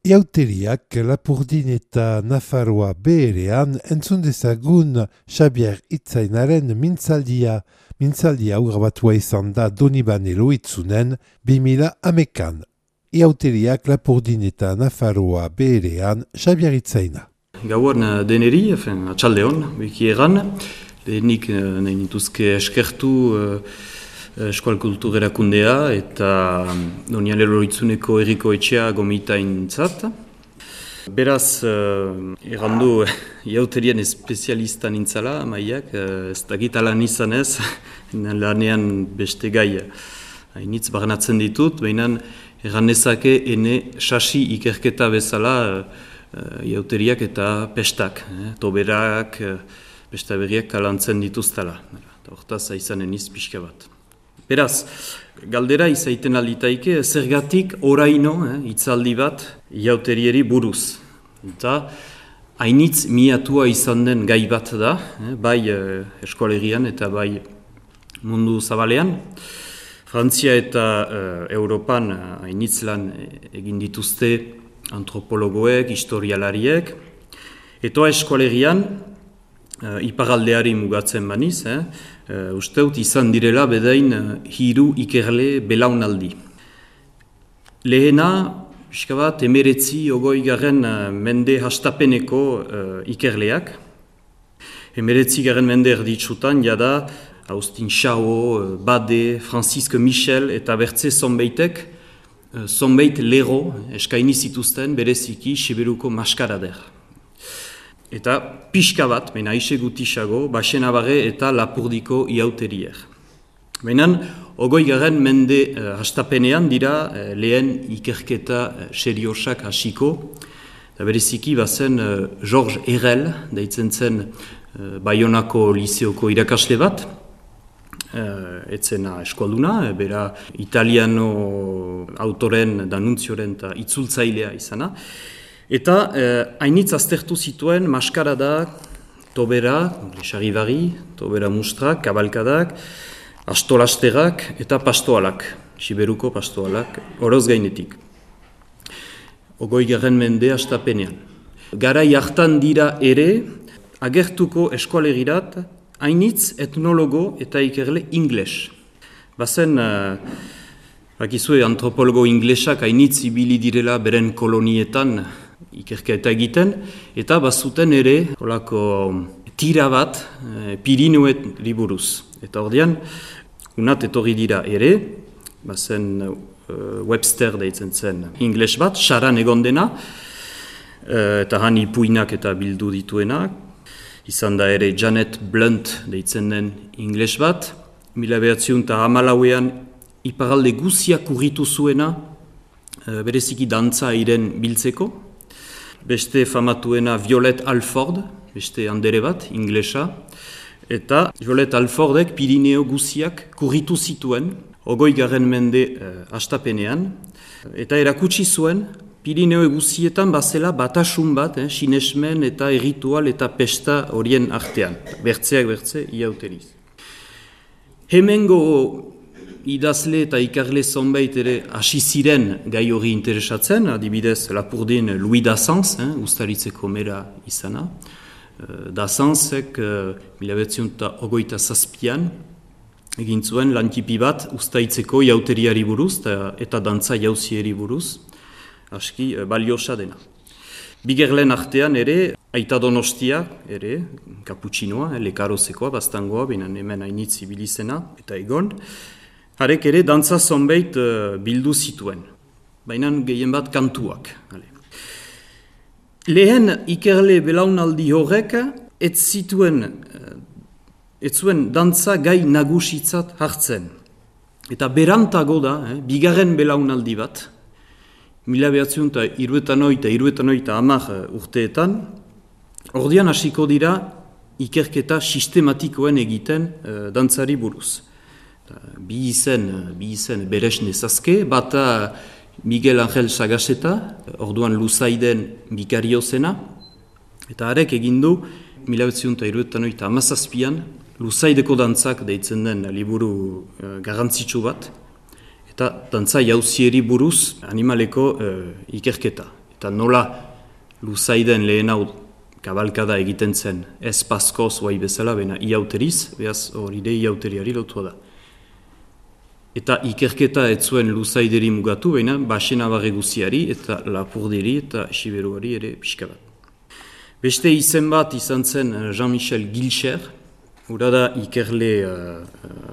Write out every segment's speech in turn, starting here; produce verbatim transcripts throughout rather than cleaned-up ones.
Iauteriak Lapurdin eta Nafarroa beherean entzun dezagun Xabier Itzainaren mintzaldia. Mintzaldia grabatua izan da Donibane Loitzunen bi mila hamekan. Iauteriak Lapurdin eta Nafarroa beherean Xabier Itzaina. Gauan deneri, atxalde hon, biki egan, lehenik nahi nituzke eskertu Eskual Kultur Erakundea eta Donibane Loitzuneko Herriko Etxea gomitaintzat. Beraz, errandu iauterien espezialista nintzala, maiak, ez dakit alan izan ez, lanean beste gai hainitz barnatzen ditut, baina erranezake ene sasi ikerketa bezala iauteriak eta pestak, toberak, beste berriak kalantzen dituztala. Hortaz, aizanen iz pixka bat. Beraz, galdera izaiten alditaike, zergatik oraino, eh, itzaldi bat, iauterieri buruz. Eta hainitz miatua izan den gai bat da, eh, bai eh, eskolegian eta bai mundu zabalean. Frantzia eta eh, Europan hainitz lan egin dituzte antropologoek, historialariek. Eta eskolegian, Uh, iparaldeari mugatzen baniz, eh? uh, usteut izan direla bedain uh, hiru ikerle belaunaldi. Lehena, pixka bat, emeretzi ogoi garen uh, mende hastapeneko uh, ikerleak. Emeretzi garen mende erditsutan, jada, Austin Chao, uh, Bade, Francisque Michel eta bertze zonbeitek, uh, zonbeit lero eskaini zituzten bereziki Siberuko maskarader. Eta pixka bat, baina aise gutisago, Baxenabarre eta Lapurdiko iauterier. Baina, ogoi garen mende uh, hastapenean dira uh, lehen ikerketa uh, seriosak hasiko. Eta bereziki bazen uh, Georges Herrel, deitzen zen uh, Baionako liseoko irakasle bat, uh, etzena eskualduna, bera italiano autoren, danuntzioren eta itzultzailea izana. Eta hainitz eh, aztertu zituen maskarada, tobera, lesaribari, tobera mustrak, kabalkadak, astolasterak eta pastoalak, Siberuko pastoalak, oroz gainetik. Ogoi garen mende hastapenean. Garai hartan dira ere, agertuko eskualegirat, hainitz etnologo eta ikerle ingles. Bazen, uh, bakizue antropologo inglesak hainitz ibili direla beren kolonietan, ikerketa egiten, eta bazuten ere olako tira bat e, Pirinuet liburuz. Eta ordean, unat etorri dira ere, bazen e, Webster deitzen zen ingles bat, saran egon dena, e, eta han ipuinak eta bildu dituenak, izan da ere Janet Blunt deitzen den ingles bat, mila behatziun eta hamalauean iparalde guziak urritu zuena, e, bereziki dantza iren biltzeko, beste famatuena Violet Alford, beste andere bat, inglesa, eta Violet Alfordek Pirineo guziak kurritu zituen, ogoi garen mende eh, hastapenean, eta erakutsi zuen, Pirineo guzietan bazela batasun bat, eh, sinesmen eta erritual eta pesta horien artean, bertzeak bertze, iauteriz. Hemengo idazle eta ikarle zonbait ere hasi ziren gai hori interesatzen, adibidez Lapurdin Louis Dassens, eh, ustaritzeko mera izana. Uh, Dassensek uh, mila behatziehun eta hogeita zazpian egin zuen lantipi bat ustaitzeko iauteriari buruz eta, eta dantza jauzieri buruz, aski uh, baliosa dena. Bigerlen artean ere, Aita Donostia ere, kaputxinoa, eh, lekarozekoa, bastangoa, binen hemen hainitz ibilizena, eta egon, harek ere dantza zonbait uh, bildu zituen, baina gehien bat kantuak. Ale. Lehen ikerle belaunaldi horrek ez zituen, uh, ez zuen dantza gai nagusitzat hartzen. Eta berantago da, eh, bigarren belaunaldi bat, mila behatziehun eta hirurogeita eta hirurogeita eta hamar urteetan, ordian hasiko dira ikerketa sistematikoen egiten uh, dantzari buruz. Bi izen, bi izen beres nezazke, bata Miguel Angel Sagaseta, orduan Luzaiden bikario zena, eta harek egindu, mila behatziehun eta hirurogeita eta hamazazpian, Luzaideko dantzak deitzen den liburu uh, garrantzitsu bat, eta dantza jauzieri buruz animaleko uh, ikerketa. eta nola luzaiden lehen hau kabalkada egiten zen, ez paskoz guai bezala, bena iauteriz, behaz hori de iauteriari lotua da. Eta ikerketa ez zuen luzaideri mugatu, baina basena barre guziari eta lapurderi eta siberuari ere pixka bat. Beste izen bat izan zen Jean-Michel Gilcher, hura da ikerle uh,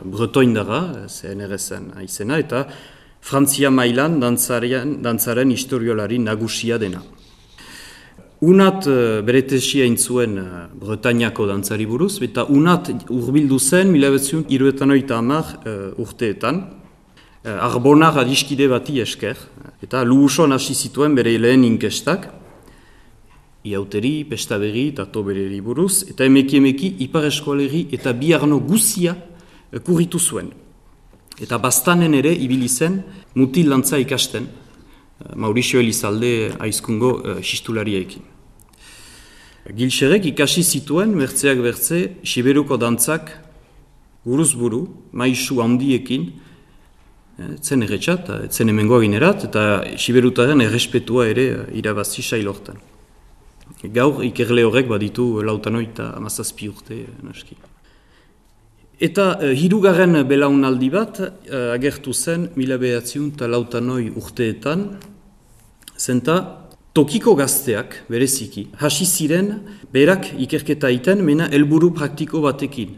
bretoindara, C N R S-en izena, eta Frantzia mailan dantzaren, dantzaren historiolari nagusia dena. Unat uh, bere tesia intzuen uh, Bretañako dantzari buruz, eta unat urbildu zen mila bederatziehun eta hirurogeita hamar uh, urteetan, uh, Arbonar adiskide bati esker, eta luhuson hasi zituen bere lehen inkestak, iauteri, pestaberri eta tobereri buruz, eta emeki emeki ipar eskualeri eta biarno guzia uh, kurritu zuen. Eta bastanen ere ibili zen mutil dantza ikasten, Mauricio Elizalde aizkungo uh, xistulariaekin. Gilxerek ikasi zituen, bertzeak bertze, siberuko dantzak buruz buru, maisu handiekin, etzen erretxat, etzen hemengoa ginerat, eta siberutaren errespetua ere irabazi sailortan. Gaur ikerle horrek baditu lautanoi eta amazazpi urte naski. Eta uh, hirugarren belaunaldi bat uh, agertu zen mila bederatziehun eta lautanoi urteetan, zenta tokiko gazteak bereziki hasi ziren berak ikerketa iten, mena helburu praktiko batekin.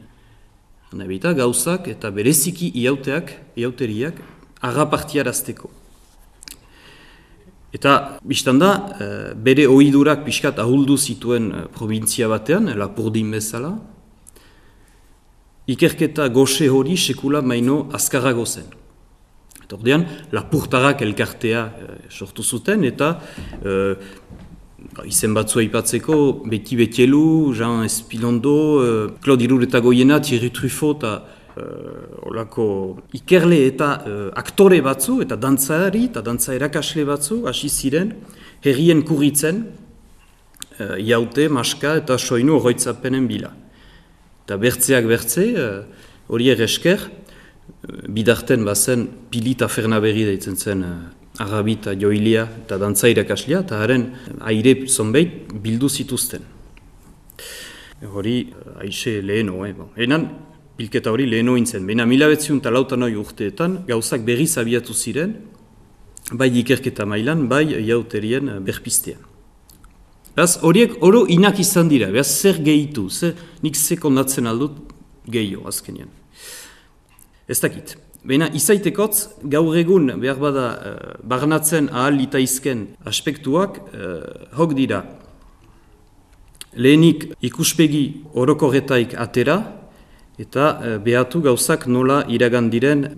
Nebita gauzak eta bereziki iauteak, iauteriak agapartiarazteko. Eta biztanda uh, bere ohidurak pixkat ahuldu zituen uh, provintzia batean, Lapurdin bezala, ikerketa goxe hori sekula maino azkarrago zen. Eta ordean, lapurtarrak elkartea e, sortu zuten, eta e, izen batzua aipatzeko Beti Betielu, Jean Espilondo, e, Claude Iruretagoiena, Thierry Truffaut, eta e, olako ikerle eta e, aktore batzu, eta dantzari, eta dantza erakasle batzu, hasi ziren, herrien kurritzen, e, iaute, maska eta soinu horroitzapenen bila. Eta bertzeak bertze, hori uh, eresker, uh, bidarten bazen Pilita Fernaberri deitzen zen uh, Arabita, Joilia eta dantza irakaslia, eta haren aire zonbeit bildu zituzten. Hori uh, aixe leheno, eh? Bon. Enan, bilketa hori leheno intzen. Baina mila bederatziehun eta lautanoi urteetan, gauzak berriz abiatu ziren, bai ikerketa mailan, bai iauterien uh, berpistean. Beraz, horiek oro inak izan dira, beraz, zer gehitu, zer, nik ze kondatzen aldut gehio, azkenean. Ez dakit. Baina, izaitekotz, gaur egun, behar bada, uh, barnatzen ahal litaizken aspektuak, uh, hok dira. Lehenik ikuspegi orokorretaik atera, eta uh, behatu gauzak nola iragan diren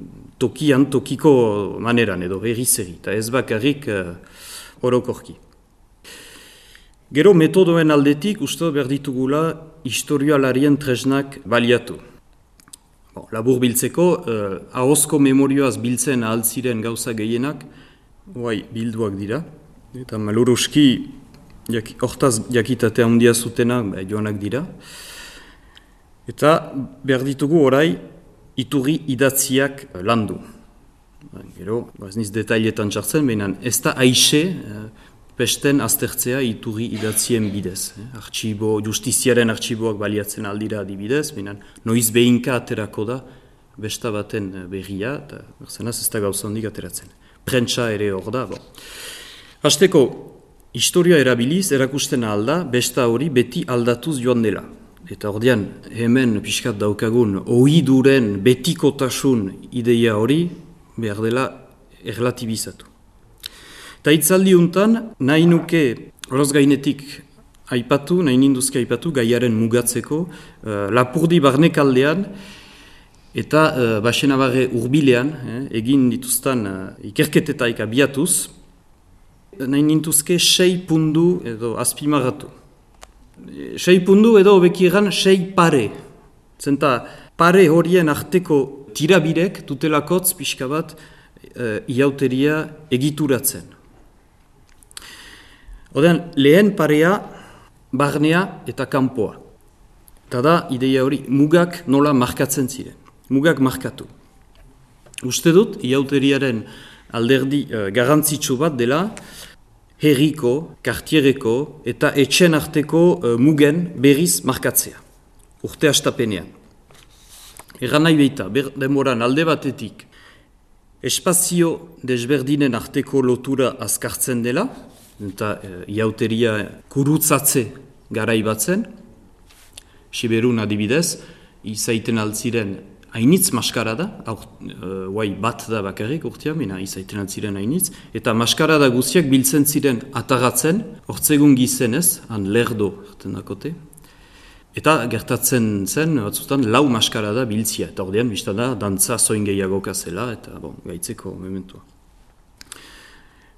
tokian, tokiko maneran, edo herri-zeri, eta ez bakarrik uh, orokorki. Gero metodoen aldetik, uste behar ditugula historialarien tresnak baliatu. Bon, labur biltzeko, eh, ahozko memorioaz biltzen ahaltziren gauza gehienak, oai, bilduak dira. Eta maluruski, jak, hortaz jakitatea handia zutena, bah, joanak dira. Eta behar ditugu orai, iturri idatziak landu. Gero, ez niz detailetan txartzen, behinan ez da aixe, eh, pesten aztertzea iturri idatzien bidez. Eh? Artxibo, justiziaren artxiboak baliatzen aldira adibidez, behinan noiz behinka aterako da besta baten berria, eta berzenaz ez da gauza handik ateratzen. Prentsa ere hor da. Bon. Hasteko, historia erabiliz, erakusten alda, besta hori beti aldatuz joan dela. Eta ordean, hemen pixkat daukagun, ohiduren betikotasun ideia hori, behar dela erlatibizatu. Eta hitzaldi untan, nahi nuke horoz gainetik aipatu, nahi ninduzke aipatu, gaiaren mugatzeko, uh, Lapurdi barnekaldean, eta uh, Baxenabarre urbilean, eh, egin dituztan uh, ikerketetaik abiatuz, nahi ninduzke sei pundu edo azpimarratu. Sei pundu edo obekieran sei pare. Zenta, pare horien arteko tirabirek dutelakotz pixka bat uh, iauteria egituratzen. Odean, lehen parea, barnea eta kanpoa. Eta da, ideia hori, mugak nola markatzen ziren. Mugak markatu. Uste dut, iauteriaren alderdi uh, garrantzitsu bat dela, herriko, kartiereko eta etxen arteko uh, mugen berriz markatzea, urte astapenean. Egan nahi behita, denboran alde batetik, espazio desberdinen arteko lotura azkartzen dela, eta uh, iauteria kurutzatze garai batzen, Siberun adibidez, izaiten altziren hainitz maskarada, guai uh, bat da bakarrik urtean, bina izaiten altziren hainitz, eta maskarada guziak biltzen ziren atagatzen, hortzegun gizenez, han lerdo erten dakote, eta gertatzen zen, batzutan, lau maskarada biltzia, eta ordean, biztan da, dantza zoin gehiagoka zela, eta bon, gaitzeko mementua.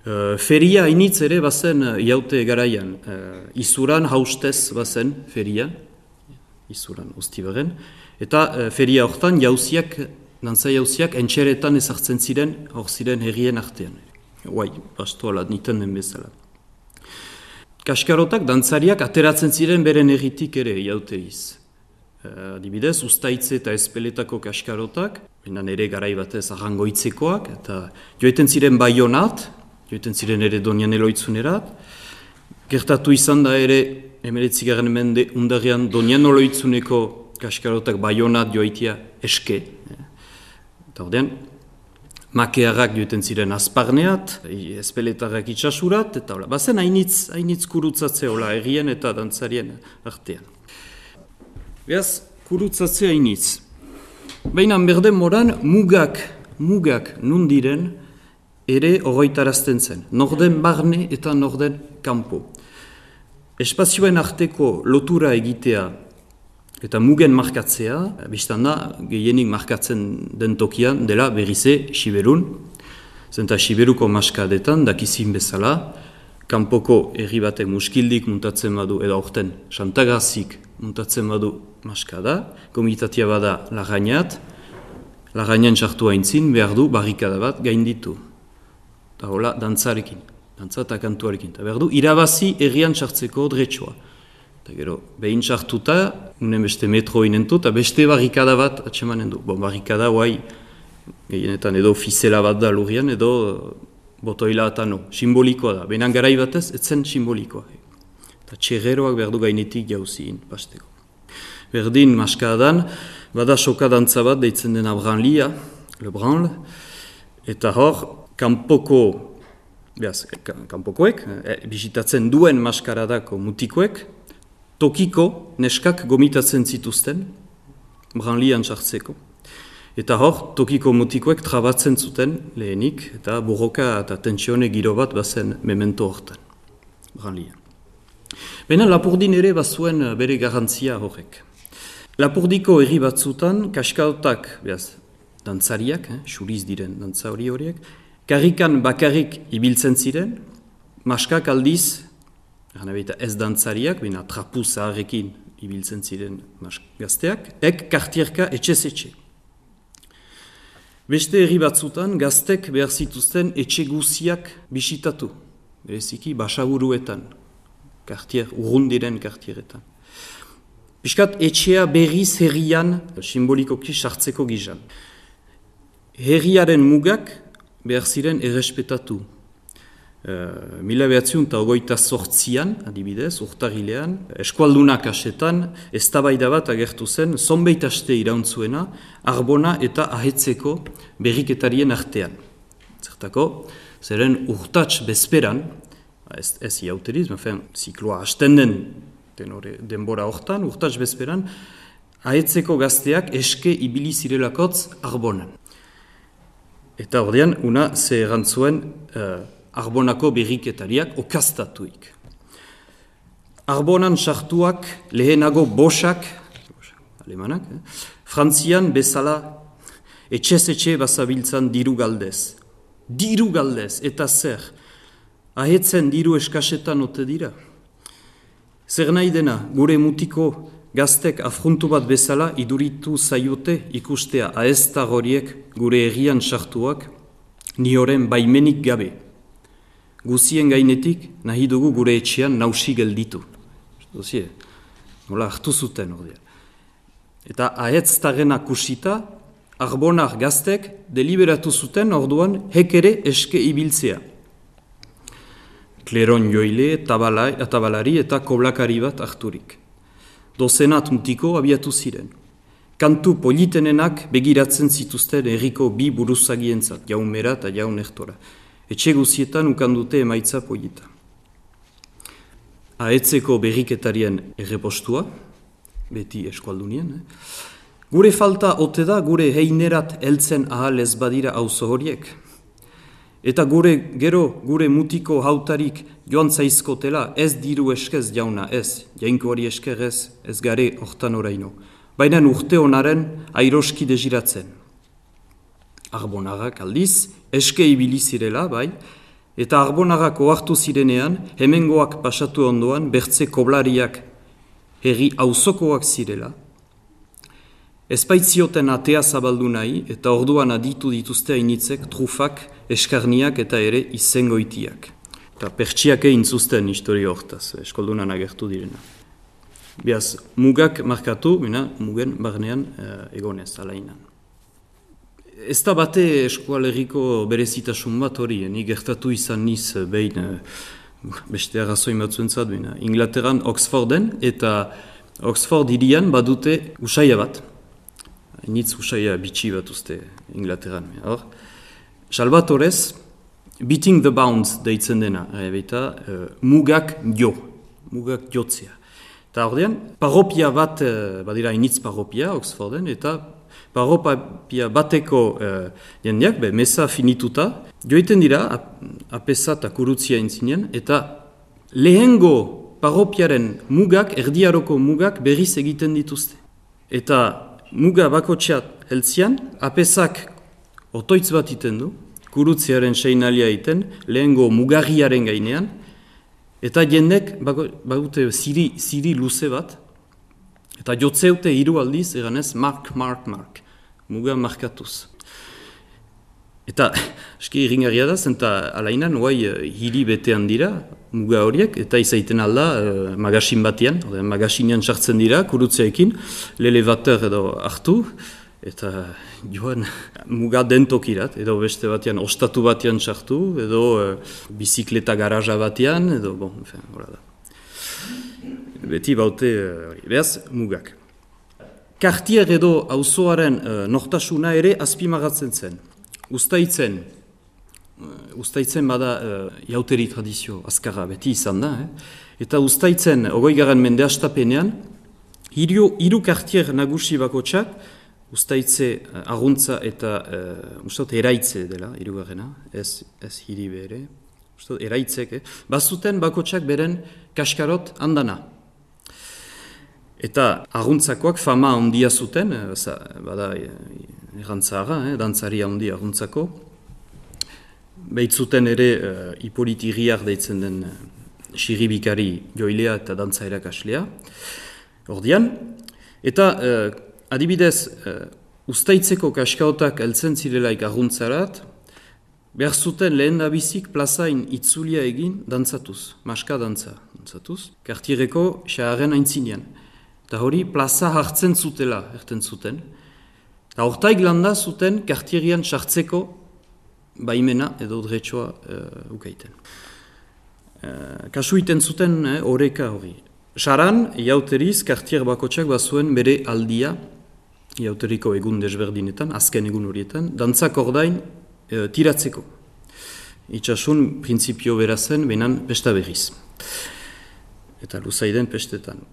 Uh, feria hainitz ere bazen iaute garaian, uh, izuran haustez bazen feria, izuran ustibaren, eta uh, feria hortan jauziak, dantza jauziak, entxeretan ezartzen ziren, hor ziren herrien artean. Guai, bastoala, niten den bezala. Kaskarotak, dantzariak, ateratzen ziren beren herritik ere, jauteriz. Uh, adibidez, ustaitze eta espeletako kaskarotak, benan ere garai batez arrangoitzekoak, eta joeten ziren Baionat, joeten ziren ere Donian Eloitzunerat, gertatu izan da ere, emeretzigarren mende undarrean Donian Eloitzuneko kaskarotak Baionat joaitia eske. Eta ordean, makearrak joeten ziren azparneat, espeletarrak itxasurat, eta hola, bazen hainitz, hainitz kurutzatzea hola, errien eta dantzarien artean. Beaz, kurutzatzea hainitz. Baina berden moran, mugak, mugak nundiren ere horretarazten zen. Norden barne eta norden kanpo. Espazioen arteko lotura egitea eta mugen markatzea, biztan da, gehienik markatzen den tokian dela berrize Siberun. Zenta Siberuko maskadetan, dakizin bezala, kanpoko herri batek muskildik muntatzen badu, edo aurten Santagazik muntatzen badu maskada, komitatia bada Larrañat, Larrañan sartu haintzin behar du barrikada bat gainditu. Eta hola, dantzarekin, dantza eta kantuarekin. Eta behar du, irabazi herrian sartzeko dretsua. Eta gero, behin sartuta, unen beste metro inentu, eta beste barrikada bat atsemanen du. Bon, barrikada, guai, gehienetan edo ofizela bat da lurian, edo botoila eta no. Simbolikoa da. Benan garai batez, etzen simbolikoa. Eta txerreroak behar du gainetik jauzien, pasteko. Berdin, maskadan, bada soka dantza bat, deitzen den abranlia, le branle, eta hor, kanpoko, behaz, kanpokoek, e, bisitatzen duen maskaradako mutikoek, tokiko neskak gomitatzen zituzten, branlian sartzeko. Eta hor, tokiko mutikoek trabatzen zuten lehenik, eta borroka eta tentsione giro bat bazen memento hortan, branlian. Baina Lapurdin ere bazuen bere garantzia horrek. Lapurdiko herri batzutan, kaskaotak, behaz, dantzariak, eh, xuriz diren dantza hori horiek, karrikan bakarrik ibiltzen ziren, maskak aldiz, ez dantzariak, bina trapu zaharrekin ibiltzen ziren gazteak, ek kartierka etxez etxe. Beste herri batzutan, gaztek behar zituzten etxe guziak bisitatu, bereziki basaburuetan, kartier, urrun diren kartieretan. Piskat etxea berriz herrian, simbolikoki sartzeko gizan. Herriaren mugak behar ziren errespetatu. Uh, mila behatziun eta ogoita sortzian, adibidez, urtarilean, eskualdunak asetan, eztabaida bat agertu zen, zonbeit aste irauntzuena, arbona eta ahetzeko berriketarien artean. Zertako, zeren urtats bezperan, ez, ez iauteriz, mafen, zikloa hasten den tenore, denbora hortan, urtats bezperan, ahetzeko gazteak eske ibili zirelakotz arbonan. Eta ordean, una ze erantzuen uh, Arbonako berriketariak okaztatuik. Arbonan sartuak lehenago bosak, alemanak, eh? Frantzian bezala etxez-etxe bazabiltzan diru galdez. Diru galdez, eta zer? Ahetzen diru eskasetan ote dira? Zer nahi dena, gure mutiko gaztek afruntu bat bezala iduritu zaiote ikustea aezta horiek gure herrian sartuak, ni horren baimenik gabe. Guzien gainetik nahi dugu gure etxean nausi gelditu. Dozie, nola hartu zuten ordean. Eta ahetztarena kusita, arbonar gaztek deliberatu zuten orduan hek ere eske ibiltzea. kleron joile, tabalai, tabalari eta koblakari bat harturik. Dozenat mutiko abiatu ziren. Kantu politenenak begiratzen zituzten herriko bi buruzagientzat, jaun mera eta jaun ertora. Etxe guzietan ukandute emaitza polita. Aetzeko berriketarien errepostua, beti eskualdunien, eh? Gure falta ote da gure heinerat heltzen ahal ez badira auzo horiek. Eta gure gero gure mutiko hautarik joan zaizkotela ez diru eskez jauna ez, jainko hori esker ez, ez gare hortan oraino. Baina urte honaren airoski desiratzen. Arbonagak aldiz, eske ibili zirela, bai, eta arbonagak ohartu zirenean, hemengoak pasatu ondoan, bertze koblariak herri auzokoak zirela, ezpaitzioten atea zabaldu nahi, eta orduan aditu dituzte hainitzek, trufak, eskarniak eta ere izengoitiak. Eta pertsiak egin zuzten historio hortaz, eskoldunan agertu direna. Beaz, mugak markatu, bina, mugen barnean eh, egonez, alainan. Ez da bate eskualeriko berezitasun bat hori, ni gertatu izan niz behin, eh, beste arrazoin batzuentzat, bina, Inglaterran Oxforden, eta Oxford hirian badute usaia bat. Nitz usaia bitxi bat uste Inglaterran. Hor, Salvatorez, Beating the Bounds deitzen dena, eta uh, mugak jo, mugak jotzea. Eta ordean, parropia bat, uh, badira initz parropia Oxforden, eta parropia bateko uh, jendeak, be, meza finituta, joiten dira, ap, apesa eta kurutzia intzinen, eta lehengo parropiaren mugak, erdiaroko mugak berriz egiten dituzte. Eta muga bakotxeat heltzian, apesak otoitz bat iten du, kurutziaren seinalia iten, lehengo mugarriaren gainean, eta jendek bagute ziri, ziri luze bat, eta jotzeute hiru aldiz, eganez, mark, mark, mark, muga markatuz. Eta, eski irringarria da, zenta alainan, guai, hiri betean dira, muga horiek, eta izaiten alda, uh, magasin batean, magasinean sartzen dira, kurutzeekin, l'elevateur edo hartu, eta joan muga dentokirat, edo beste batean, ostatu batean sartu, edo uh, bizikleta garaja batean, edo, bon, enfin, hola da. Beti baute, uh, behaz, mugak. Kartier edo auzoaren uh, nortasuna ere azpimagatzen zen. Uztaitzen, uh, Uztaitzen bada uh, jauteri tradizio azkarra beti izan da, eh? Eta Uztaitzen, ogoigaren mende hastapenean, hiru, hiru kartier nagusi bakotxak, Uztaitze uh, arguntza eta uh, ustot, eraitze dela, hirugarrena, ez, ez hiri bere, ustot, eraitzek, eh? Bazuten bakotxak beren kaskarot handana. Eta arguntzakoak fama handia zuten, eh, bada errantzara, eh, dantzaria handia arguntzako. Behitzuten ere uh, Hippolyte Iriart deitzen den uh, xirribikari joilea eta dantza erakaslea. Ordian, eta uh, adibidez, uh, Uztaitzeko kaskaotak heltzen zirelaik arguntzarat, behar zuten lehen dabizik plazain itzulia egin dantzatuz, maska dantza dantzatuz, kartiereko xaharren aintzinean. Eta hori plaza hartzen zutela, erten zuten. Eta hortaik landa zuten kartierian sartzeko baimena edo dretsoa uh, ukaiten. Uh, kasu iten zuten eh, oreka hori. Saran, iauteriz, kartier bakotxak bazuen bere aldia, iauteriko egun desberdinetan, azken egun horietan, dantzak ordain uh, tiratzeko. Itxasun, printzipio berazen, benan pesta berriz. Eta luzaiden pestetan.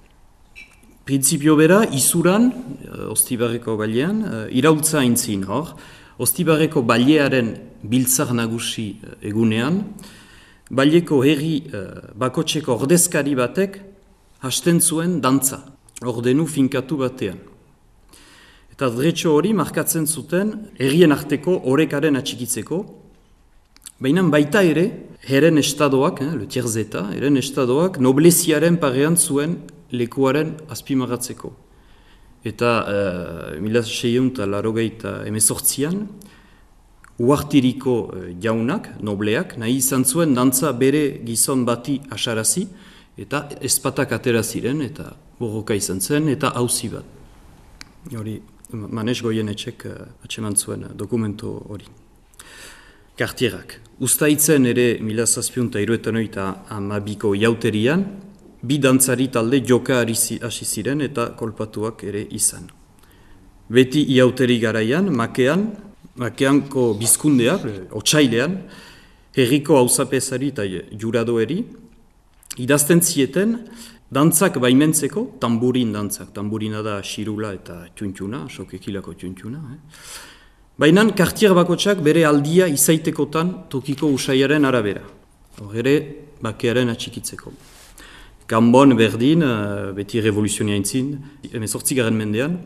Printzipio bera, izuran, uh, Ostibarreko bailean, uh, iraultza aintzin hor, Ostibarreko bailearen biltzar nagusi uh, egunean, baileko herri uh, bakotxeko ordezkari batek hasten zuen dantza, ordenu finkatu batean. Eta dretxo hori markatzen zuten herrien arteko orekaren atxikitzeko, baina baita ere, heren estadoak, eh, le tierzeta, heren estadoak nobleziaren parean zuen lekuaren azpimagatzeko. Eta uh, mila seiehun eta laurogeita hemezortzian, uartiriko uh, jaunak, nobleak, nahi izan zuen dantza bere gizon bati asarazi, eta ezpatak atera ziren, eta borroka izan zen, eta auzi bat. Hori, Manes Goienetxek uh, atseman zuen uh, dokumento hori. kartierak. Uztaitzen ere mila zazpiehun eta hirurogeita hogeita hamabiko jauterian, bi dantzari talde joka hasi ziren eta kolpatuak ere izan. Beti iauteri garaian, makean, makeanko bizkundea, otsailean, herriko auzapezari eta juradoeri, idazten zieten dantzak baimentzeko, tamburin dantzak, tamburina da xirula eta txuntxuna, sokekilako txuntxuna, eh? Baina kartier bakotsak bere aldia izaitekotan tokiko usaiaren arabera. Hor ere, bakearen atxikitzeko. Gambon berdin, beti revoluzionia intzin, emezortzigaren mendean,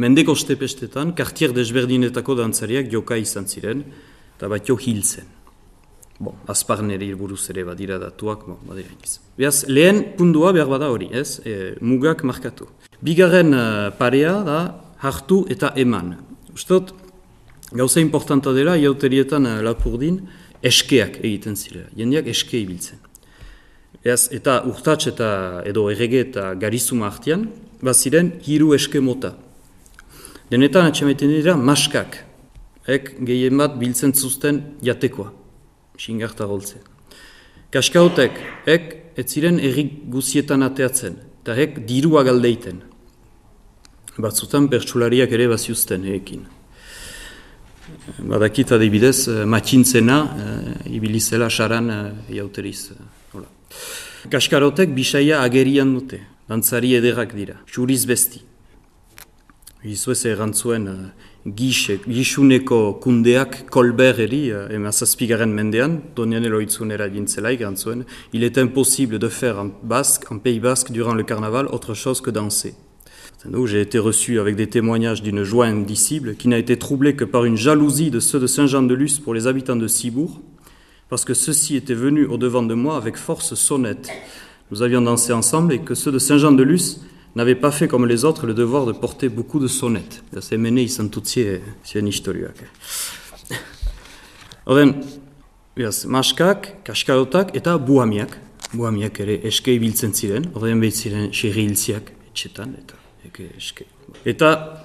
mendeko stepestetan, kartier desberdinetako dantzariak joka izan ziren, eta batio hil zen. Bon, azparneri buruz ere badira datuak, bon, badira iniz. Beaz, lehen pundua behar bada hori, ez? E, mugak markatu. Bigarren parea da hartu eta eman. Ustot, gauza importanta dela, iauterietan Lapurdin, eskeak egiten zirela. Jendeak eske ibiltzen. Beaz, eta urtats eta edo errege eta garizuma artean, baziren hiru eske mota. Denetan atxamaiten dira maskak. Ek gehien bat biltzen zuzten jatekoa. Xingarta goltzen. Kaskaotek, ek ez ziren errik guzietan ateatzen, eta ek dirua galdeiten. Batzutan pertsulariak ere baziuzten ekin. Badakit adibidez, matxintzena, e, ibilizela saran e, jauteriz. E, Kaskarotek bisaia agerian dute, dantzari ederrak dira, xuriz besti. Gizuez erantzuen uh, gix, gixuneko kundeak kolbereri, uh, emazazpigaren mendean, Donianelo itzunera gintzelaik erantzuen, il est impossible de faire en basque, en pays basque, durant le carnaval, autre chose que danser. Donc, j'ai été reçu avec des témoignages d'une joie indicible qui n'a été troublée que par une jalousie de ceux de Saint-Jean-de-Luz pour les habitants de Cibourg, parce que ceux-ci étaient venus au-devant de moi avec force sonnette. Nous avions dansé ensemble et que ceux de Saint-Jean-de-Luz n'avaient pas fait comme les autres le devoir de porter beaucoup de sonnettes. C'est mené izan tutzie zien historioak. Oden, maskak, kaskarotak eta buhamiak. Buhamiak ere eske ibiltzen ziren, oden behit ziren xerri hilziak etxetan, eta eke eske. Eta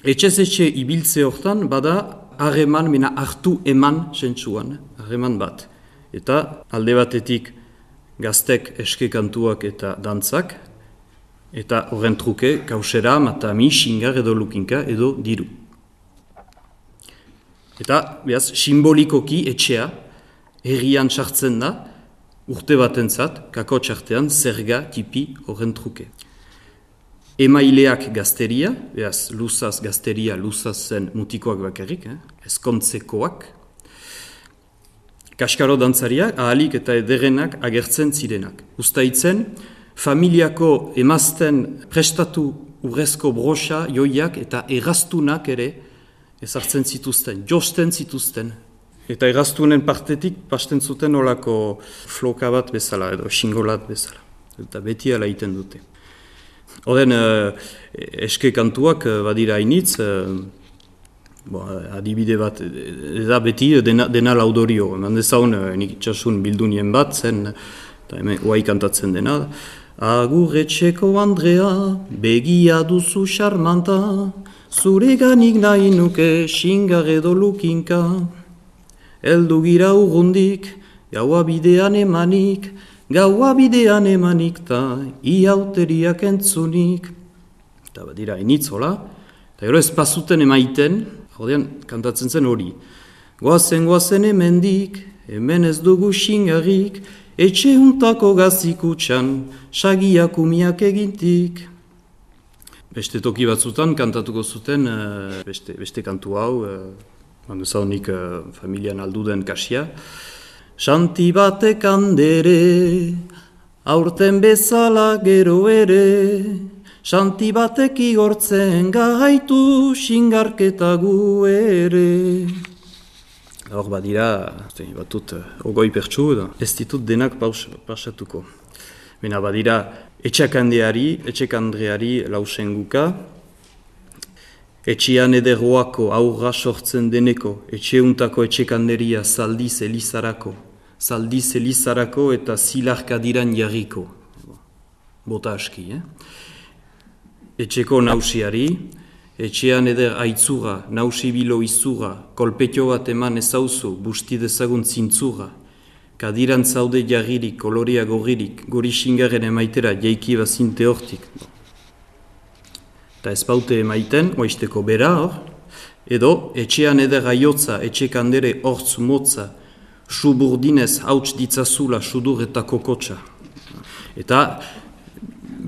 etxez etxe ibiltze hortan bada harreman, mena hartu eman sentsuan, harreman bat. Eta alde batetik gaztek eske kantuak eta dantzak, eta horren truke, kausera, matami, xingar edo lukinka edo diru. Eta, behaz, simbolikoki etxea, herrian sartzen da, urte batentzat, kako txartean, zerga tipi horren truke. Emaileak gazteria, behaz, luzaz gazteria, luzaz zen mutikoak bakarrik, eh? Ezkontzekoak. Kaskaro dantzariak, ahalik eta ederrenak agertzen zirenak. Uztaitzen, familiako emazten prestatu urrezko broxa, joiak eta erraztunak ere ezartzen zituzten, josten zituzten. Eta erraztunen partetik pasten zuten olako floka bat bezala edo xingolat bezala. Eta beti ala iten dute. Oden eske kantuak badira hainitz, bo, adibide bat, eda beti dena, dena laudorio. Eman dezaun nik itxasun bildunien bat zen, eta hemen uai kantatzen dena. Agurretxeko Andrea, begia duzu xarmanta, zure ganik nahi nuke xingar edo lukinka. Eldu gira urrundik, gaua bidean emanik, gaua bidean emanik ta iauteriak entzunik. Eta badira initzola, eta gero ez pasuten emaiten, jodean kantatzen zen hori. Goazen goazen hemendik, hemen ez dugu xingarrik, etxe huntako gazikutxan, sagiak umiak egintik. Beste toki batzutan kantatuko zuten uh, beste, beste kantu hau, uh, handu zaunik uh, familian alduden kasia. Xanti batek handere, aurten bezala gero ere, xanti batek igortzen gaitu xingarketa gu ere. Hor badira, batut, ogoi pertsu, ez ditut denak pausatuko. Bena badira, etxakandeari, etxekandreari lausenguka, etxean ederroako aurra sortzen deneko, etxeuntako etxekanderia zaldiz elizarako, zaldiz elizarako eta zilarkadiran jarriko. Bota aski, eh? Etxeko nausiari, etxean eder aitzura, nausibilo izura, kolpetio bat eman ezauzu, busti dezagun zintzura, kadiran zaude jarririk, koloria gorririk, gori xingaren emaitera, jaiki bazinte hortik. Eta ez baute emaiten, oaizteko bera hor, edo etxean eder aiotza, etxe kandere hortz motza, suburdinez hauts ditzazula sudur eta kokotxa. Eta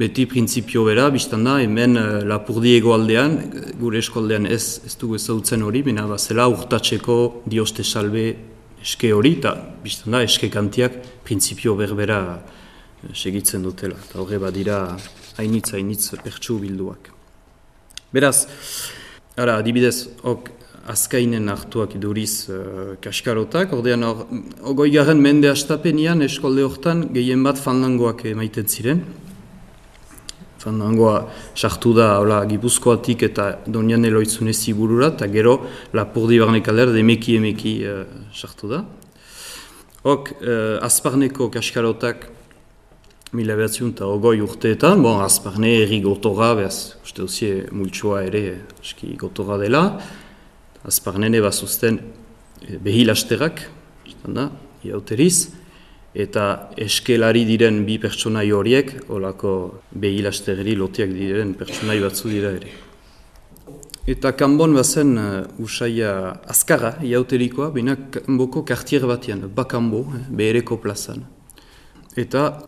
beti printzipio bera, biztan da, hemen uh, Lapurdi egoaldean, gure eskoldean ez, ez dugu ezagutzen hori, bina bazela urtatzeko dioste salbe eske hori, eta biztan da, eske kantiak printzipio berbera uh, segitzen dutela. Eta horre badira hainitz, hainitz pertsu bilduak. Beraz, ara, adibidez, ok, azkainen hartuak iduriz uh, kaskarotak, ordean hor, ogoi garen mende astapenian eskolde hortan gehien bat fandangoak emaiten ziren. Fandangoa sartu da hola, Gipuzkoatik eta Donian Eloitzune ziburura, eta gero Lapurdi Barnekalder emeki emeki uh, sartu da. Hok, uh, Azparneko kaskarotak mila behatziun eta ogoi urteetan, bon, Azparne erri gotorra, behaz, uste duzie multsoa ere eski gotorra dela, Azparnene bazuzten behilasterak, da, iauteriz, eta eskelari diren bi pertsonai horiek, holako behilastegeri lotiak diren pertsonai batzu dira ere. Eta kanbon bazen uh, usaia azkarra, iauterikoa, baina kanboko kartier batean, bakanbo, eh, behereko plazan. Eta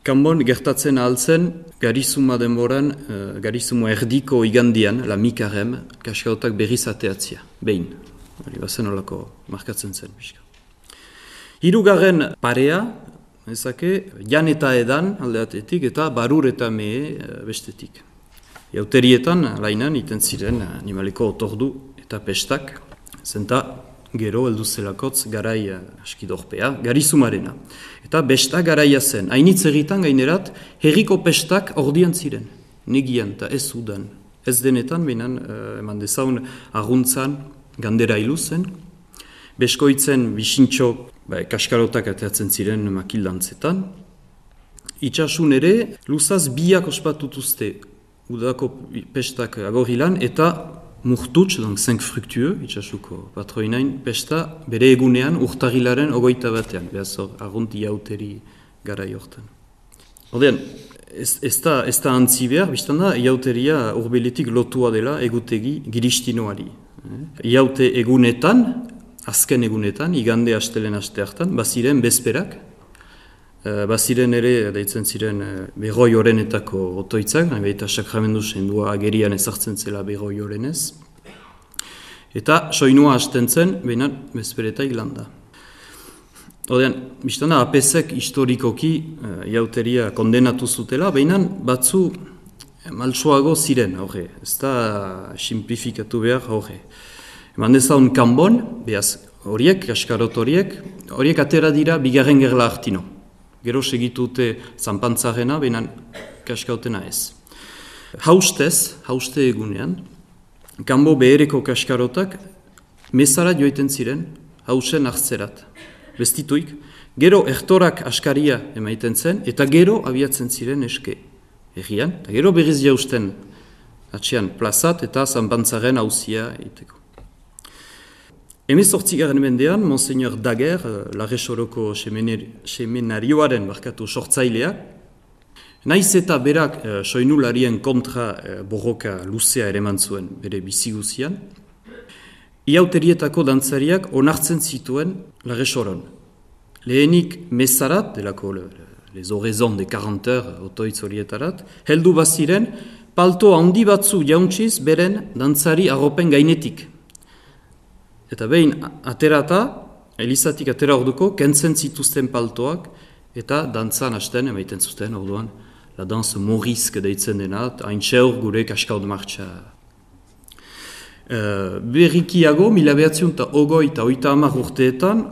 kanbon gertatzen ahaltzen, garizuma denboran, uh, garizuma erdiko igandian, la mikarem, kaskarotak berriz ateatzia, behin. Hori bazen holako markatzen zen, pixka. Hirugarren parea, ezake, jan eta edan aldeatetik eta barur eta mehe bestetik. Jauterietan, lainan, iten ziren animaliko otordu eta pestak, zenta gero heldu zelakotz garai askidorpea, garizumarena. Eta besta garaia zen, hainitz egiten gainerat, herriko pestak ordian ziren, negian eta ez udan. Ez denetan, behinan, eman dezaun arguntzan gandera hilu zen, beskoitzen bisintxo ba, kaskarotak ateatzen ziren makildantzetan. Itxasun ere, luzaz biak ospatutuzte udako pestak agorilan eta murtutx, donc zenk fruktueux, itxasuko patroinain, pesta bere egunean urtarrilaren ogoita batean, behaz hor, argunti iauteri gara jortan. Ordean, ez, ez da, ez da antzi behar, biztan da, iauteria urbeletik lotua dela egutegi giristinoari. Iaute egunetan, azken egunetan, igande astelen aste hartan, baziren bezperak, baziren ere, daitzen ziren, berroi orenetako otoitzak, baita sakramendu sendua agerian ezartzen zela berroi orenez, eta soinua hasten zen, baina bezperetak landa. Odean, biztana, apesek historikoki iauteria kondenatu zutela, baina batzu maltsoago ziren, horre, ez da simplifikatu behar, horre. Eman dezaun kanbon, behaz horiek, kaskarot horiek, horiek atera dira bigarren gerla hartino. Gero segitute zanpantzarena, behinan kaskautena ez. Haustez, hauste egunean, kanbo behereko kaskarotak mezara joiten ziren, hausen hartzerat. Bestituik, gero ertorak askaria emaiten zen, eta gero abiatzen ziren eske errian, eta gero berriz jausten atxean plazat eta zanpantzaren hauzia iteko. Hemezortzigaren mendean, Monseigneur Daguer, Larresoroko seminarioaren barkatu sortzailea, naiz eta berak eh, soinularien kontra eh, borroka luzea ere zuen bere biziguzian, iauterietako dantzariak onartzen zituen Larresoron. Lehenik mezarat, delako le, les oraisons de quarante heures otoitz horietarat, heldu baziren, palto handi batzu jauntziz beren dantzari arropen gainetik. Eta behin aterata, elizatik atera orduko, kentzen zituzten paltoak, eta dantzan hasten emaiten zuten orduan, la danse morizke deitzen dena, hain txeur gure kaskaud martxa. Uh, berrikiago, mila behatziun eta ogoi eta oita hamar urteetan,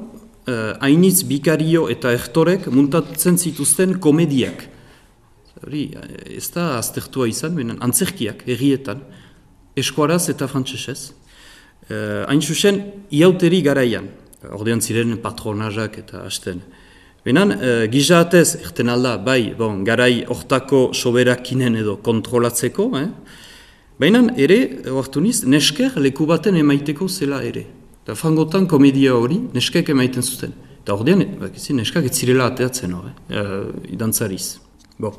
uh, hainitz bikario eta ertorek muntatzen zituzten komediak. Hori, ez da aztertua izan, benen antzerkiak, herrietan, eskuaraz eta frantsesez. Uh, hain zuzen, iauteri garaian, ordean ziren patronazak eta hasten. Benan, uh, gizaatez, erten alda, bai, bon, garai hortako soberakinen edo kontrolatzeko, eh? Baina ere, oartu niz, nesker leku baten emaiteko zela ere. Eta frangotan komedia hori neskek emaiten zuten. Eta ordean, bakizi, neskak ez zirela ateatzen hori, uh, idantzariz. Bo.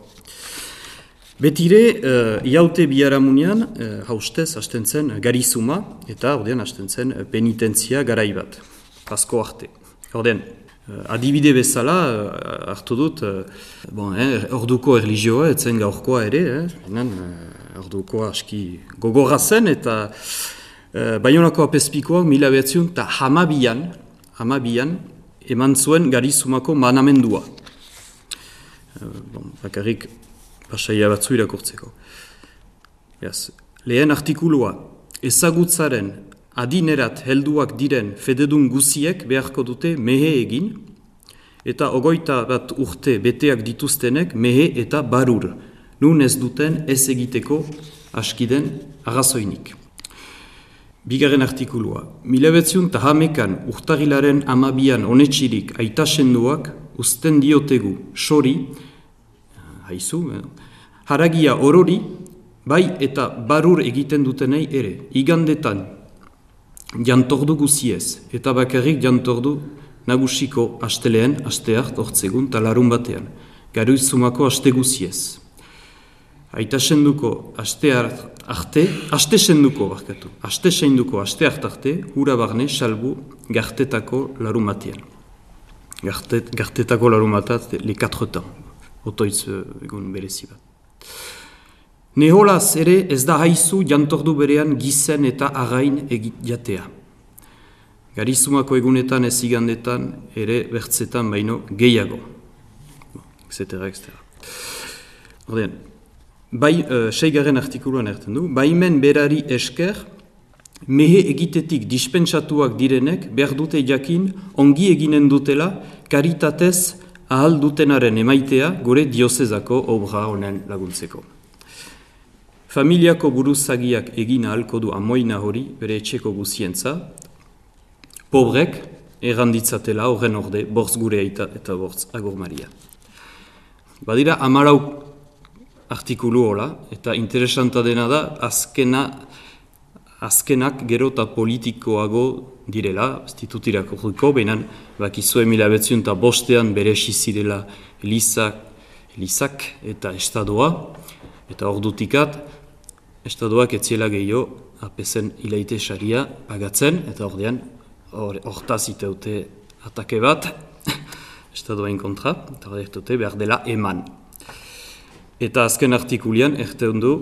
Betire, uh, iaute biharamunean, uh, haustez hasten zen garizuma, eta ordean hasten zen penitentzia garai bat, asko arte. Ordean, uh, adibide bezala, uh, hartu dut, uh, bon, eh, orduko erlijioa, etzen gaurkoa ere, eh, enen, uh, ordukoa aski gogorra zen, eta uh, Baionako apezpikoak mila behatziun eta hamabian, hamabian, eman zuen garizumako manamendua. Uh, bon, bakarrik pasaia batzu irakurtzeko. Beaz, lehen artikulua, ezagutzaren adinerat helduak diren fededun guziek beharko dute mehe egin, eta ogoita bat urte beteak dituztenek mehe eta barur, nun ez duten ez egiteko askiden arrazoinik. Bigarren artikulua, mila behatziun eta hamekan urtagilaren amabian onetxirik aitasenduak uzten diotegu sori, haizu, eh? haragia orori, bai eta barur egiten dutenei ere, igandetan jantordu guziez, eta bakarrik jantordu nagusiko asteleen, asteart, ortzegun, talarun batean, garuizumako aste guziez. Aita senduko aste arte, aste senduko, barkatu, aste senduko aste arte, hura barne salbu gartetako larumatean. Gartet, gartetako larumatat, le quatre temps, otoitz egun berezi bat. Neholaz ere ez da haizu jantordu berean gizen eta again egitea. Garizumako egunetan ez igandetan ere bertzetan baino gehiago. et cetera et cetera. Ordean, bai, uh, seigarren artikuluan erten du, baimen berari esker, mehe egitetik dispentsatuak direnek behar dute jakin ongi eginen dutela karitatez ahal dutenaren emaitea gure diozezako obra honen laguntzeko. Familiako buruzagiak egin ahalko du amoina hori bere etxeko guzientza, pobrek erranditzatela horren orde bortz gure aita eta bortz agur Maria. Badira hamarau artikulu hola, eta interesanta dena da, azkena, azkenak gero eta politikoago direla, ez ditut irakurriko, behinan bakizue mila behatziun eta bostean bere esizirela Elizak, Elizak eta Estadoa, eta ordutikat, Estadoak etziela gehiago, apezen hilaite saria pagatzen, eta ordean, hortaz iteute atake bat, Estadoain kontra, eta ordean behar dela eman. Eta azken artikulian, erteun du,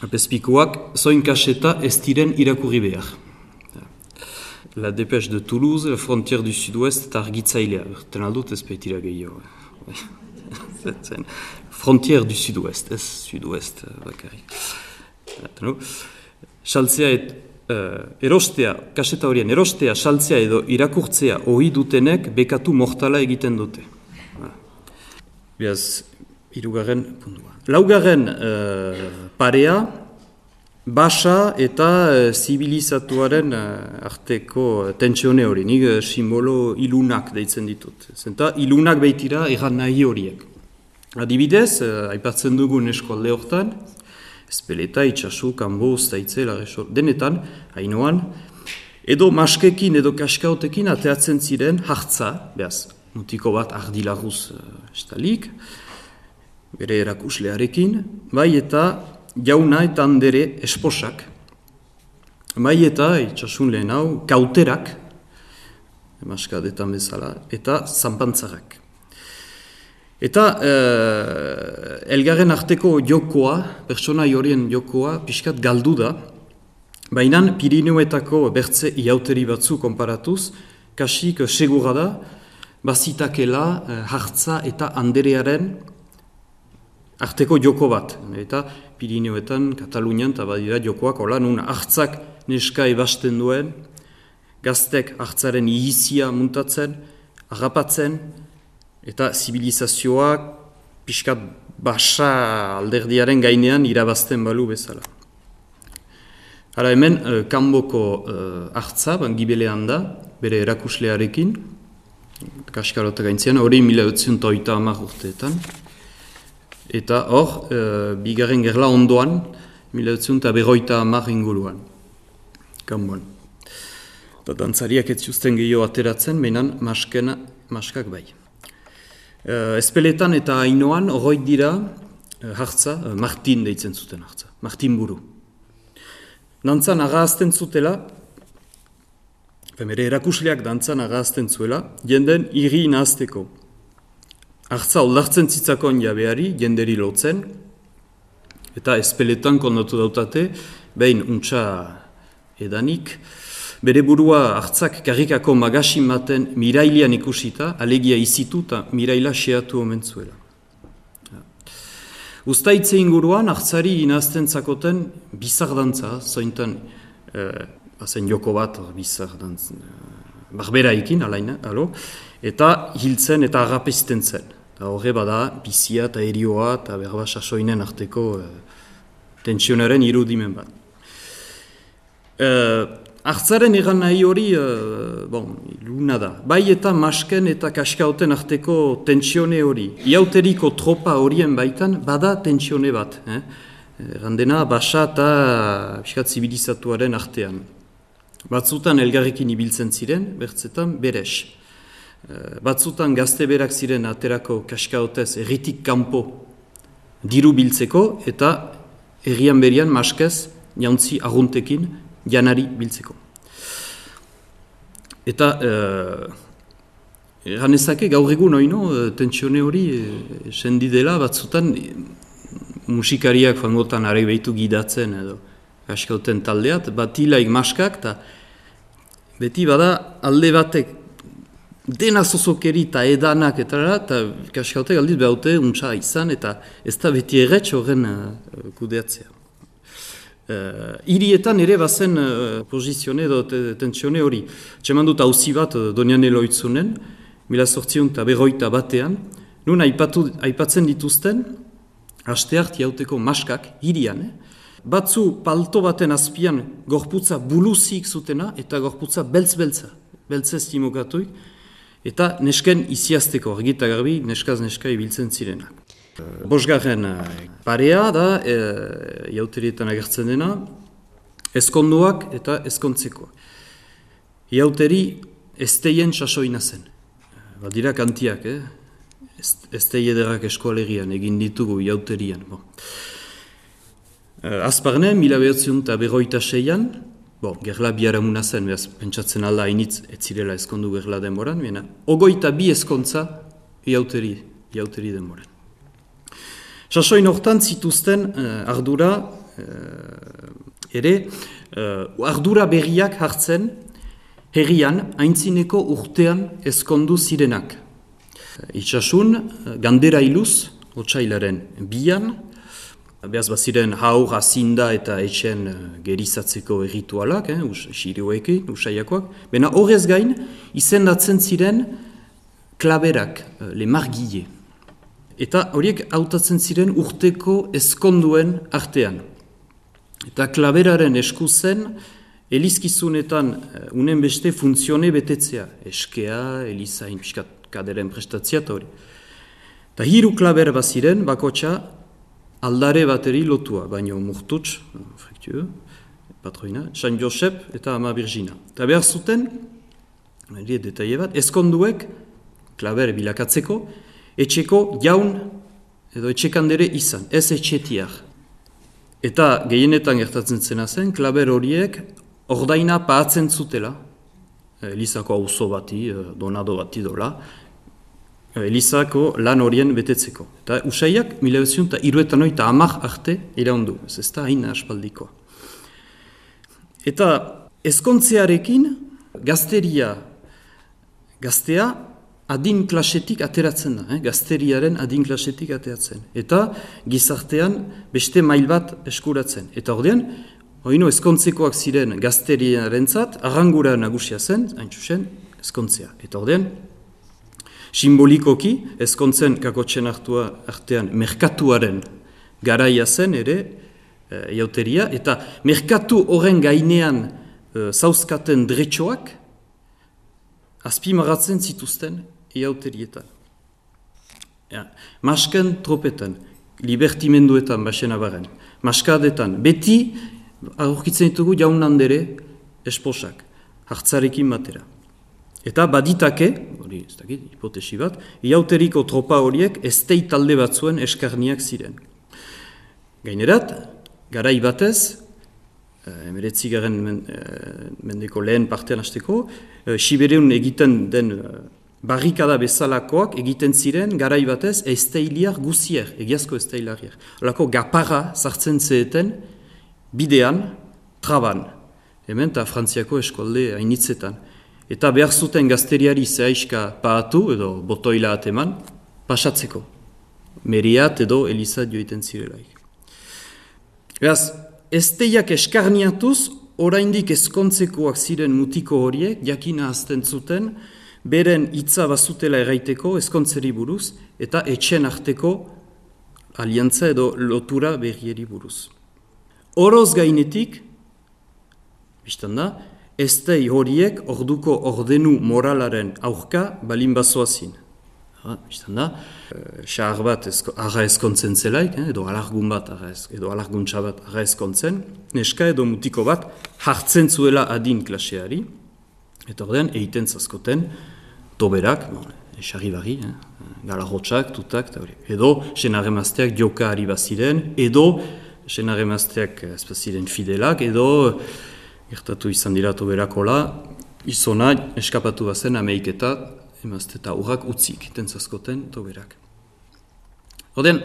apezpikoak, zoin kaseta ez diren irakurri behar. La Dépêche de Toulouse, la Frontière du Sud-Ouest, eta argitzailea. Erten aldut ez baitira gehiago. Frontière du Sud-Ouest, ez Sud-Ouest bakarrik. Saltzea et, uh, erostea, kaseta horien, erostea, saltzea edo irakurtzea ohi dutenek bekatu mortala egiten dute. Beaz, hirugarren puntua. Laugarren uh, parea, basa eta uh, zibilizatuaren uh, arteko tentsione hori, nik uh, simbolo ilunak deitzen ditut. Zenta ilunak behitira erran nahi horiek. Adibidez, uh, aipatzen dugun eskolde hortan, Ezpeleta, itxasu, kanbo, ustaitze, lagesor, denetan, hainoan, edo maskekin edo kaskaotekin ateatzen ziren hartza, behaz, mutiko bat ardilaguz uh, estalik, bere erakuslearekin, bai eta jauna eta handere esposak, bai eta itxasun lehen hau, kauterak, maskadetan bezala, eta zanpantzarak. Eta eh, elgarren arteko jokoa, pertsona horien jokoa, pixkat galdu da, baina Pirineuetako bertze iauteri batzu konparatuz, kasik segura da, bazitakela eh, hartza eta anderearen arteko joko bat. Eta Pirineuetan, Katalunian, eta badira jokoak, hola, nun hartzak neska ebasten duen, gaztek hartzaren ihizia muntatzen, harrapatzen, eta zibilizazioak pixkat basa alderdiaren gainean irabazten balu bezala. Hala hemen, uh, kanboko uh, hartza, gibelean da, bere erakuslearekin, kaskarota gaintzean, hori mila behatziun eta hamar urteetan. Eta hor, uh, bigarren gerla ondoan, mila eta berroita hamar inguruan. Kanboan. Eta dantzariak ez zuzten gehiago ateratzen, menan maskena, maskak bai. Uh, Ezpeletan eta Ainoan horroit dira uh, hartza, uh, Martin deitzen zuten hartza, Martin buru. Dantzan agazten zutela, bere erakusleak dantzan agazten zuela, jenden irri nahazteko. Hartza oldartzen zitzakon jabeari, jenderi lotzen, eta ezpeletan kondatu dautate, behin untxa edanik, bere burua hartzak karrikako magasin baten mirailian ikusita, alegia izitu eta miraila xeatu omen zuela. Uztaitze inguruan, hartzari inazten zakoten bizar dantza, zointan, eh, zen joko bat, bizar dantza, barberaikin, alaina, alo, eta hiltzen eta agapizten zen. Eta horre bada, bizia eta erioa eta berba sasoinen arteko eh, tensionaren irudimen bat. Eh, Hartzaren egan nahi hori, uh, bon, luna da. Bai eta masken eta kaskauten arteko tentsione hori. Iauteriko tropa horien baitan, bada tentsione bat. Eh? Randena, basa eta piskat zibilizatuaren artean. Batzutan elgarrekin ibiltzen ziren, bertzetan beres. Uh, batzutan gazte berak ziren aterako kaskautez erritik kanpo diru biltzeko, eta herrian berian maskez, jauntzi arruntekin, janari biltzeko. Eta, erran ezake gaur egun oino, tentsione hori sendi dela, batzutan musikariak fangotan are behitu gidatzen edo kaskauten taldeat, bat hilaik maskak, eta beti bada alde batek dena zozokeri eta edanak eta kaskautek aldiz behaute untsa izan, eta ez da beti erretx horren uh, kudeatzea. Uh, irietan ere bazen uh, pozizione edo tentsione hori. Txeman dut hauzi bat uh, Donian Eloitzunen, mila sortzion eta berroita batean, nun aipatu, aipatzen dituzten, hasteart jauteko maskak, irian, eh? Batzu palto baten azpian gorputza buluzik zutena eta gorputza beltz-beltza, beltzez timokatuik, eta nesken iziazteko, argita garbi, neskaz neska ibiltzen zirenak. Bosgarren parea da, e, iauterietan agertzen dena, ezkonduak eta ezkontzeko. Iauteri ezteien sasoina zen. Badira kantiak, eh? Eztei ederak eskoalegian, egin ditugu iauterian. Bon. Azparne, mila behatziun eta berroita seian, bon, gerla biharamuna zen, behaz, pentsatzen alda hainitz ez zirela ezkondu gerla denboran, bena, ogoita bi ezkontza iauteri, iauteri denboran. Sasoin hortan zituzten uh, ardura, uh, ere, uh, ardura berriak hartzen herrian, haintzineko urtean ezkondu zirenak. Itxasun, uh, gandera iluz, otsailaren bian, behaz baziren haur, azinda eta etxen uh, gerizatzeko erritualak, eh, us, xirioekin, usaiakoak, bena horrez gain, izendatzen ziren klaberak, uh, le margille. Eta horiek hautatzen ziren urteko ezkonduen artean. Eta klaberaren esku zen, elizkizunetan unen beste funtzione betetzea. Eskea, elizain, piskat kaderen prestatzea eta hori. Eta hiru klaber baziren, bakotxa, aldare bateri lotua, baino murtuts, frektu, patroina, San Josep eta Ama Virgina. Eta behar zuten, detaile bat, ezkonduek, klaber bilakatzeko, etxeko jaun edo etxekandere izan, ez etxetiak. Eta gehienetan gertatzen zena zen, klaber horiek ordaina paatzen zutela, Elizako auzo bati, donado bati dola, Elizako lan horien betetzeko. Eta usaiak, mila bezion eta iruetan oita amak arte iraundu, ez ez da hain aspaldikoa. Eta ezkontzearekin gazteria, gaztea, adin klasetik ateratzen da, eh? Gazteriaren adin klasetik ateratzen. Eta gizartean beste mail bat eskuratzen. Eta ordean, oino ezkontzekoak ziren gazteriaren zat, arrangura nagusia zen, hain txusen, ezkontzea. Eta ordean, simbolikoki, ezkontzen kakotzen hartua artean merkatuaren garaia zen ere, e, iauteria, eta merkatu horren gainean e, zauzkaten dretxoak, azpimagatzen zituzten iauterietan. Ja, masken tropetan, libertimenduetan baxena baren, maskadetan, beti aurkitzen ditugu jaun handere esposak, hartzarekin batera. Eta baditake, hori ez dakit, hipotesi bat, iauteriko tropa horiek estei talde batzuen eskarniak ziren. Gainerat, garai batez, emeretzigaren mendeko lehen partean hasteko, Sibereun egiten den barrikada bezalakoak egiten ziren garai batez esteiliar guzier, egiazko esteilariak. Holako gaparra sartzen zeeten bidean, traban, hemen eta Frantziako eskolde hainitzetan. Eta behar zuten gazteriari zehaiska paatu edo botoila ateman, pasatzeko. Meriat edo Elizat joiten zirelaik. Beraz, esteiak eskarniatuz, oraindik ezkontzekoak ziren mutiko horiek, jakina azten zuten, beren hitza bazutela erraiteko ezkontzeri buruz, eta etxen arteko aliantza edo lotura berrieri buruz. Oroz gainetik, biztan da, estei horiek orduko ordenu moralaren aurka balin bazoazin. Biztan da, xahar bat arra ezkontzen zelaik, edo alargun bat, edo alarguntza bat arra ezkontzen, neska edo mutiko bat hartzen zuela adin klaseari, eta ordean egiten zazkoten toberak, esarri barri, galarrotxak, tutak, edo senaremazteak joka ari baziren, edo senaremazteak ez baziren fidelak, edo gertatu izan dira toberakola, izona eskapatu bazen ameiketa, emazte eta urrak utzik, tentzazkoten toberak. Oden,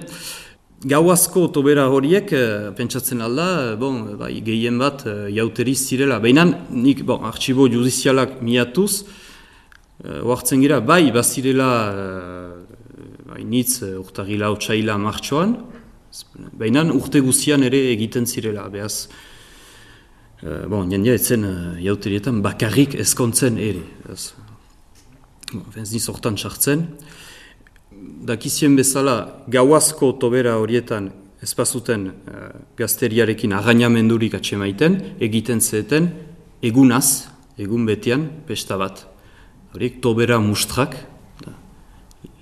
gauazko tobera horiek, pentsatzen alda, bon, bai, gehien bat jauteriz zirela. Baina nik, bon, artxibo judizialak miatuz, oartzen gira, bai, bazirela, bai, nitz, urtagila, otsaila, martxoan, baina urte guzian ere egiten zirela, behaz, Uh, bon, jendia etzen uh, jauterietan bakarrik ezkontzen ere. Ez bon, niz hortan sartzen. Dakizien bezala gauazko tobera horietan ezpazuten uh, gazteriarekin arrainamendurik atsemaiten, egiten zeten egunaz, egun betean, pesta bat. Horiek tobera mustrak, da,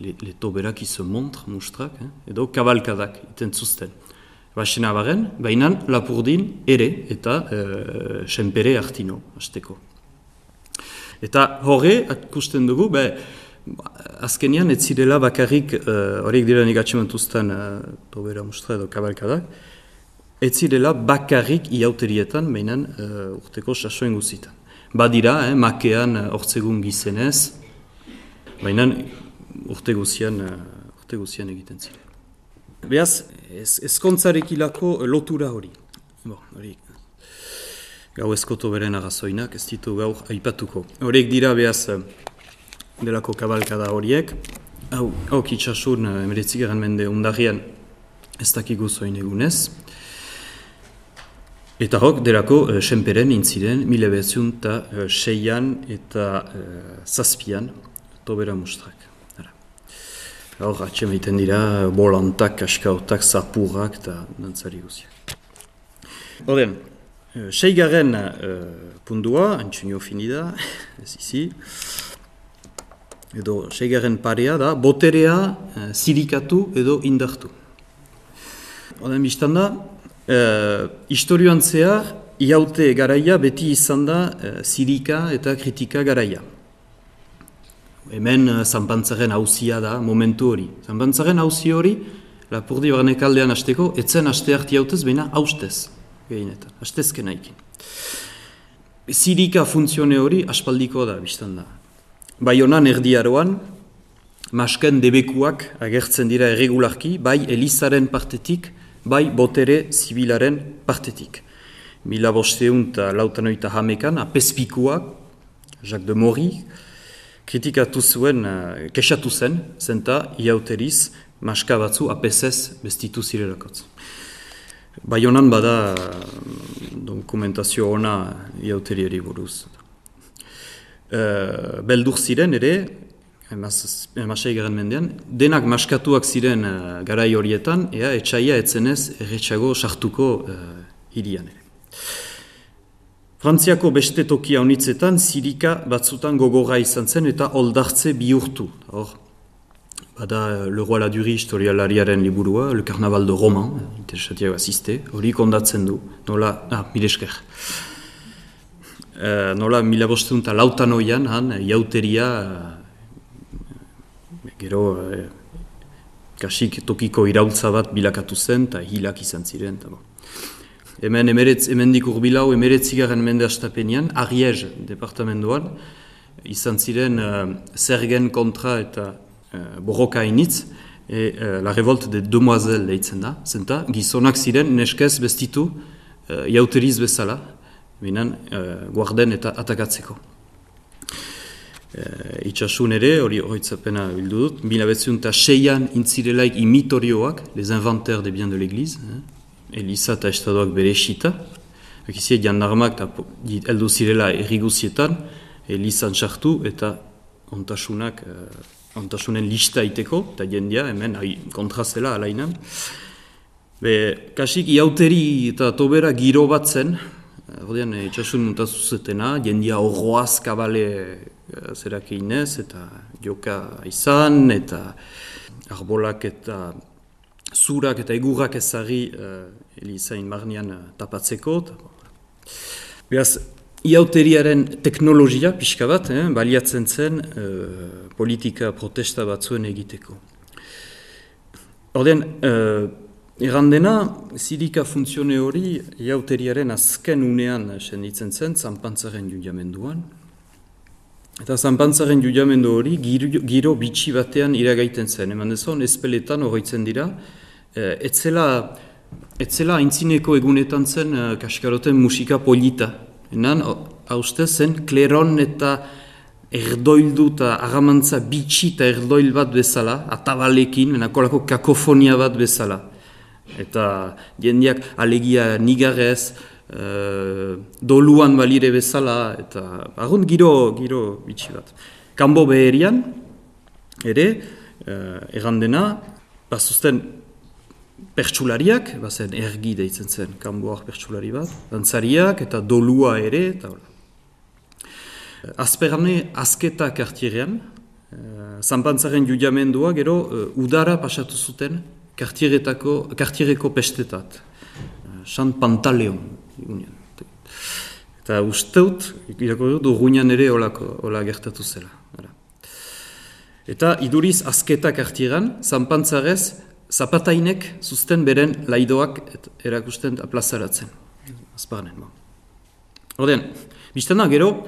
le, le tobera qui se montre mustrak, eh? Edo kabalkadak iten zuzten. Baxena baren, baina Lapurdin ere eta e, senpere hartino, hasteko. Eta horre, akusten dugu, be, azkenian ez zirela bakarrik, horiek e, dira nik atxementuzten e, tobera mustra edo kabalkadak, ez zirela bakarrik iauterietan, baina e, urteko sasoen guzitan. Badira, eh, makean hortzegun gizenez, baina urte guzian, urte guzian egiten ziren. Beaz, ezkontzarekilako lotura hori. Bon, hori. Gau ezkoto beren arrazoinak, ez ditu gaur aipatuko. Horiek dira beaz delako kabalkada horiek. Hau, hau kitsasun emeretzigaren mende undarrian ez dakigu zoin egunez. Eta hok, delako senperen intziren, mila behatziun eta seian eta zazpian tobera mustrak. Hor, atxemaiten dira, bolantak, kaskautak, zapurrak eta dantzari guziak. Horren, seigarren uh, pundua, antxunio finida, ez izi, edo seigarren parea da, boterea uh, zirikatu edo indartu. Horren, biztan da, uh, historioan zehar, iaute garaia beti izan da uh, zirika eta kritika garaia. Hemen Zanpantzaren hauzia da momentu hori. Zanpantzaren hauzi hori, Lapurdi barnekaldean hasteko, etzen haste harti hautez, baina haustez, gehinetan, hastezken haikin. Zirika funtzione hori aspaldiko da, biztan da. Baionan erdiaroan, masken debekuak agertzen dira erregularki, bai Elizaren partetik, bai botere zibilaren partetik. Mila bosteun eta lautanoita hamekan, apespikuak, Jacques de Mori, kritikatu zuen, uh, kesatu zen, zenta iauteriz, maska batzu apesez bestitu zirelakotz. Baionan bada dokumentazio ona iauteriari buruz. Uh, beldur ziren ere, emasei garen mendean, denak maskatuak ziren uh, garai horietan, ea etxaia etzenez erretxago sartuko uh, hirian ere. Frantziako beste tokia honitzetan zirika batzutan gogorra izan zen eta oldartze bihurtu. Hor, bada Le Roi Ladurie historialariaren liburua, Le Carnaval de Roman, interesatiak asiste, hori kondatzen du, nola, ah, mil esker. Uh, nola mila bosteun eta lautan oian, han, jauteria, uh, gero, uh, kasik tokiko iraultza bat bilakatu zen, eta hilak izan ziren, eta bon. Hemen emeretz, hemendik urbilau emeretzigaren mende astapenean, Ariège departamentoan, izan ziren uh, zergen kontra eta uh, borroka hainitz, e, uh, la revolte de demoiselles deitzen da, zenta gizonak ziren neskez bestitu uh, jauteriz bezala, binen uh, guarden eta atakatzeko. Uh, itxasun ere, hori horitzapena bildu dut, mila behatziehun eta seian intzirelaik imitorioak, les inventaires des biens de l'église, eh? Eliza eta estadoak bere esita, ekizie jandarmak eta heldu zirela erriguzietan, Elizan sartu eta ontasunak, uh, ontasunen lista iteko, eta jendia hemen kontrazela alainan. Be, kasik iauteri eta tobera giro bat zen, ordean itxasun muntazuzetena, jendia horroaz kabale uh, zerak einez, eta joka izan, eta arbolak eta zurak eta egurrak ezagri uh, Elizain barnean uh, tapatzeko. Beraz, iauteriaren teknologia pixka bat, eh, baliatzen zen uh, politika protesta batzuen egiteko. Ordean, uh, errandena, zirika funtzione hori iauteriaren azken unean senditzen zen, zanpantzaren judiamenduan. Eta zanpantzaren judiamendu hori giro, giro bitxi batean iragaiten zen. Eman dezon, espeletan horretzen dira, etzela, etzela aintzineko egunetan zen uh, kaskaroten musika polita. Enan, hauzte zen, kleron eta erdoildu eta agamantza bitxi eta erdoil bat bezala, atabalekin, enakolako kakofonia bat bezala. Eta jendeak alegia nigarez, Uh, doluan balire bezala, eta arrunt giro, giro bitxi bat. Kanbo beherian, ere, uh, errandena, bazuzten pertsulariak, bazen ergi deitzen zen, kanboak pertsulari bat, dantzariak eta dolua ere, eta hola. Azperane azketa kartierean, uh, zanpantzaren judiamendua, gero, uh, udara pasatu zuten kartieretako, kartiereko pestetat. Uh, San Pantaleon. Eta usteut, irakurri dut, urruinan ere hola gertatu zela. Eta iduriz azketa kartieran, zanpantzarez, zapatainek zuzten beren laidoak erakusten plazaratzen. Azparnen. Ordean, biztana gero,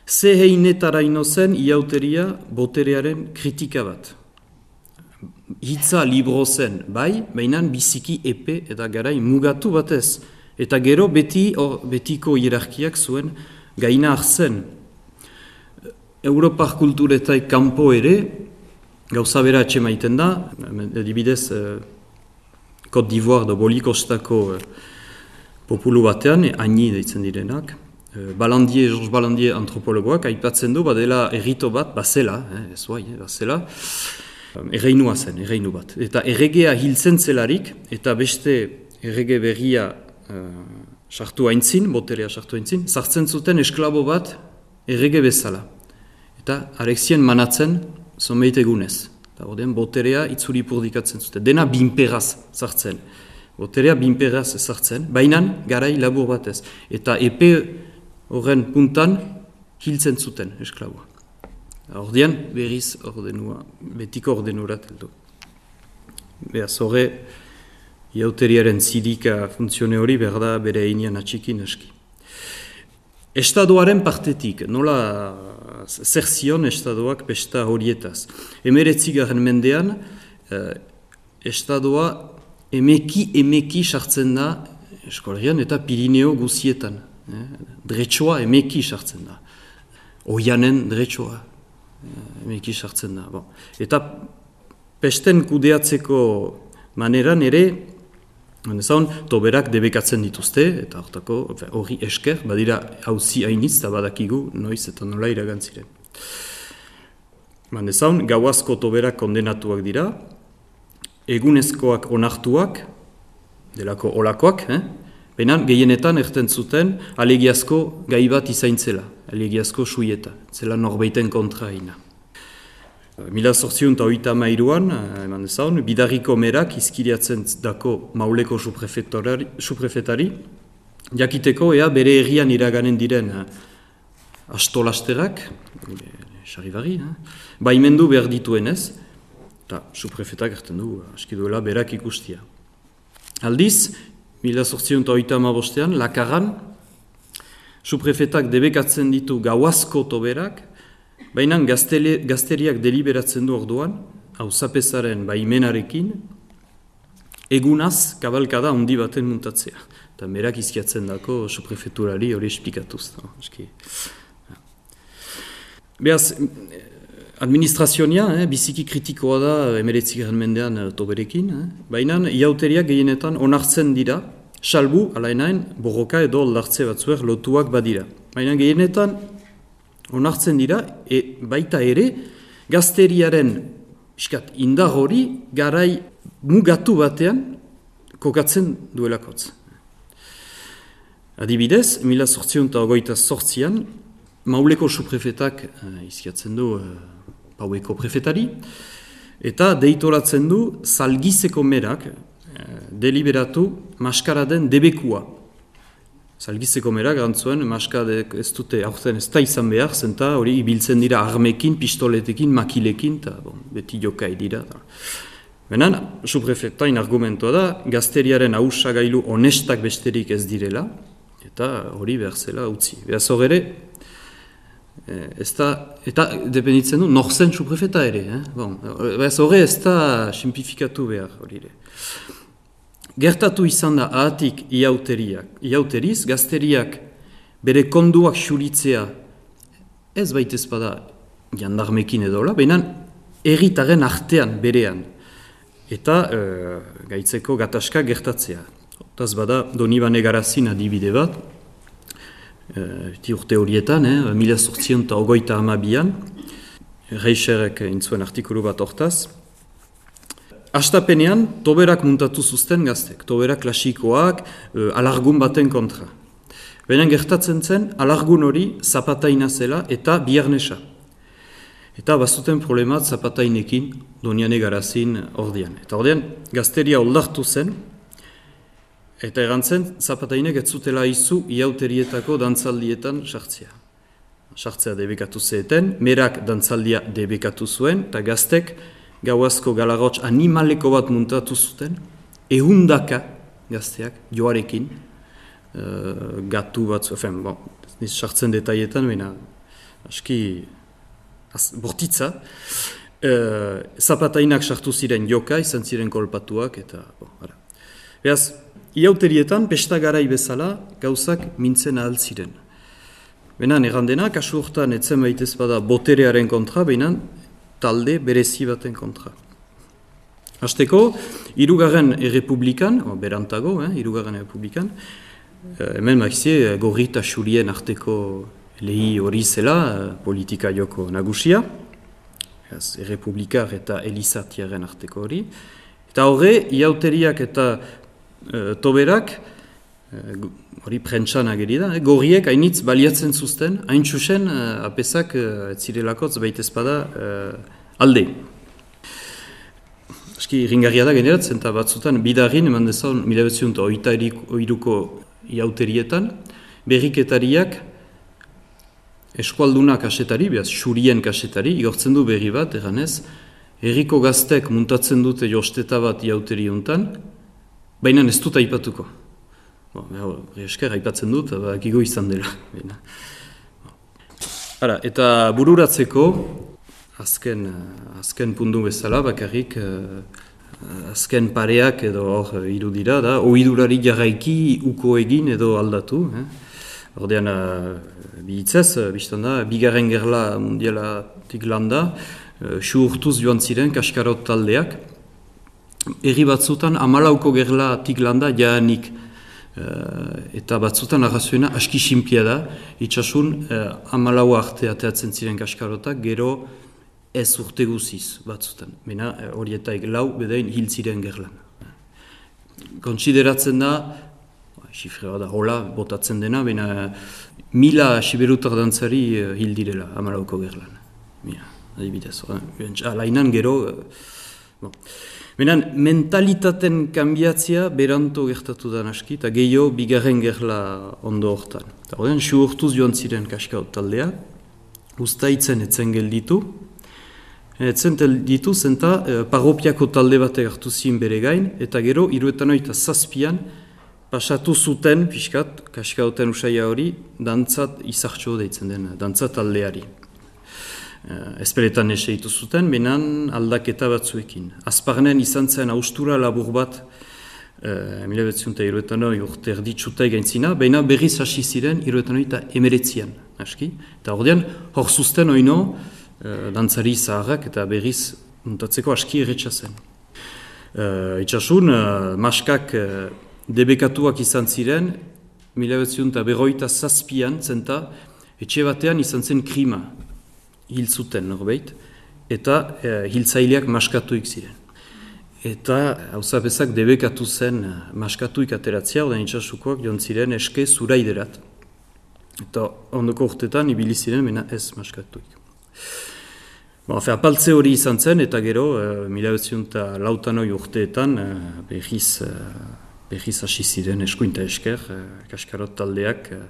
ze heinetara ino zen iauteria boterearen kritika bat. Hitza libro zen, bai, bainan biziki epe eta garai mugatu batez. Eta gero beti or, betiko hierarkiak zuen gaina hartzen. Europar kulturetaik kanpo ere, gauza bera atxe maiten da, adibidez, eh, Côte d'Ivoire da Bolikostako eh, populu batean, haini deitzen direnak, eh, Balandier, Georges Balandier antropologoak, aipatzen du, badela errito bat, bazela, eh, ez bai, eh, bazela, erreinua zen, erreinu bat. Eta erregea hiltzen zelarik, eta beste errege berria sartu uh, haintzin, boterea sartu haintzin, sartzen zuten esklabo bat errege bezala. Eta arexien manatzen zomeite egunez. Eta ordean boterea itzuri purdikatzen zuten. Dena binperaz sartzen. Boterea binperaz sartzen, bainan garai labur batez. Eta epe horren puntan hiltzen zuten esklaboa. Ordean berriz ordenua, betiko ordenurat heldu. Beaz horre, iauteriaren zidika funtzione hori berda bere einean atxikin aski. Estadoaren partetik, nola zer zion estadoak pesta horietaz. Emeretzigaren mendean, eh, estadoa emeki emeki sartzen da eskolarian eta Pirineo guzietan. Eh, Dretsoa emeki sartzen da. Oianen dretsoa eh, emeki sartzen da. Bon. Eta pesten kudeatzeko maneran ere, Zaun, toberak debekatzen dituzte, eta hortako hori esker, badira hauzi hainitz, eta badakigu noiz eta nola iragantziren. Zaun, gauazko toberak kondenatuak dira, egunezkoak onartuak, delako olakoak, eh? Benan gehienetan erten zuten alegiazko gai bat izaintzela, alegiazko suieta, zela norbeiten kontra haina. Mila zortziehun eta hogeita hamairuan, eman dezaun, Bidarriko merak izkiriatzen dako Mauleko suprefetari, jakiteko ea bere herrian iraganen diren astolasterak, sarribarri, baimendu behar dituenez, eta suprefetak erten du, aski duela berak ikustia. Aldiz, mila zortziehun eta hogeita hamabostean, Lakaran, suprefetak debekatzen ditu gauazko toberak, baina gazteriak deliberatzen du orduan, hau zapezaren baimenarekin, egunaz kabalkada handi baten muntatzea. Eta merak izkiatzen dako suprefeturari hori esplikatuz. No? Beaz, administrazioa eh, biziki kritikoa da emeretzigarren mendean eh, toberekin, eh? Baina iauteriak gehienetan onartzen dira, salbu, alainain, borroka edo aldartze batzuer lotuak badira. Baina gehienetan onartzen dira, e, baita ere, gazteriaren iskat, indar hori garai mugatu batean kokatzen duelakotz. Adibidez, mila zortziehun eta hogeita zortzian, Mauleko suprefetak uh, izkiatzen du uh, Paueko prefetari, eta deitoratzen du Zalgizeko merak uh, deliberatu maskaraden debekua. Zalgizeko merak gantzuen maskadek ez dute aurten ez da izan behar, zenta hori ibiltzen dira armekin, pistoletekin, makilekin, eta bon, beti jokai dira. Benan, suprefetain argumentoa da, gazteriaren hausagailu honestak besterik ez direla, eta hori behar zela utzi. Beaz horre, ez da, eta dependitzen du, norzen suprefeta ere. Eh? Bon, beaz horre ez da simplifikatu behar hori ere. Gertatu izan da ahatik iauteriak, iauteriz, gazteriak bere konduak xuritzea ez baitez bada jandarmekin edola, behinan erritaren artean berean. Eta e, gaitzeko gatazka gertatzea. Otaz bada, Donibane Garazin adibide bat, e, urte horietan, eh, mila zortziehun eta hogeita hamabian, Reicherek intzuen artikulu bat hortaz, hastapenean, toberak muntatu zuzten gaztek, toberak klasikoak, e, alargun baten kontra. Benen gertatzen zen, alargun hori zapataina zela eta biarnesa. Eta bazuten problemat zapatainekin Doniane Garazin ordian. Eta ordian, gazteria oldartu zen, eta erantzen, zapatainek ez zutela izu iauterietako dantzaldietan sartzea. Sartzea debekatu zeten, merak dantzaldia debekatu zuen, eta gaztek gauazko galarotx animaleko bat muntatu zuten, ehundaka gazteak joarekin, uh, gatu bat zuen, bon, niz sartzen detaietan, baina aski bortitza, uh, zapatainak sartu ziren joka, izan ziren kolpatuak, eta, bon, ara. Beaz, iauterietan, pesta garai bezala, gauzak mintzen ahal ziren. Benan, errandena, kasu hortan etzen baitez bada boterearen kontra, benan, talde berezi baten kontra. Hasteko, hirugarren errepublikan, berantago, eh, hirugarren errepublikan, eh, hemen maizie gorri eta xurien arteko lehi hori zela, politika joko nagusia, errepublikar eta elizatiaren arteko hori. Eta horre, iauteriak eta e, toberak, hori e, prentsan ageri da, eh, gorriek hainitz baliatzen zuzten, hain txusen e, apesak e, zirelakotz baitezpada e, alde. Eski, ringarria da generatzen, eta batzutan, bidarrin, eman dezaun, mila behatziehun eta hogeita hiruko iauterietan, berriketariak, eskualdunak kasetari, behaz, xurien kasetari, igortzen du berri bat, eganez, herriko gaztek muntatzen dute josteta bat iauteri hontan, baina ez dut aipatuko. Bo, esker aipatzen dut, bakigo izan dela. Ara, eta bururatzeko, azken, azken puntu bezala, bakarrik, azken pareak edo hor irudira, da, ohidurari jarraiki uko egin edo aldatu, eh? Ordean, bihitzez, biztan da, bigarren gerla mundialatik landa, su urtuz joan ziren kaskarot taldeak. Herri batzutan, amalauko gerlatik landa jaanik. Eta batzutan arrazoena aski sinplia da, itxasun amalau arte ateatzen ziren kaskarotak, gero ez urte guziz batzutan. Mena horietaik lau bedain hil ziren gerlan. Kontsideratzen da, xifrea da, hola, botatzen dena, baina mila siberutar dantzari hil direla, amalauko gerlan. Mira. adibidez. Alainan gero... Bon. Benen, mentalitaten kanbiatzea beranto gertatu da naski, eta gehiago bigarren gerla ondo hortan. Eta horrean, siu hortuz joan ziren Kaskaot taldea, ustaitzen etzen gelditu, etzen gelditu zenta eh, parropiako talde batek hartu zien bere gain, eta gero, hiruetan oita zazpian, pasatu zuten, pixkat, Kaskaoten usaia hori, dantzat izartxo deitzen den, dantzat taldeari. Uh, Ezperetan eseitu zuten, benan aldaketa batzuekin. Azparnen izan zen austura labur bat, uh, mila behatziunta hiruetan hori urte erditsuta egaintzina, baina berriz hasi ziren hiruetan hori eta emeretzian, aski. Eta ordean, hor zuzten oino, uh, dantzari zaharrak eta berriz muntatzeko aski erretxa zen. Uh, itxasun, uh, maskak uh, debekatuak izan ziren, mila behatziunta berroita zazpian, zenta, etxe batean izan zen krima. Hil zuten norbait, eta e, hiltzaileak maskatuik ziren. Eta hauzapezak debekatu zen maskatuik ateratzea, ordean itxasukoak joan ziren eske zuraiderat. Eta ondoko urtetan ibili ziren, mena ez maskatuik. Bon, fe, apaltze hori izan zen, eta gero, e, mila behatziunta lautanoi urteetan, e, behiz, e, behiz hasi ziren eskuinta esker, e, Kaskarot taldeak e,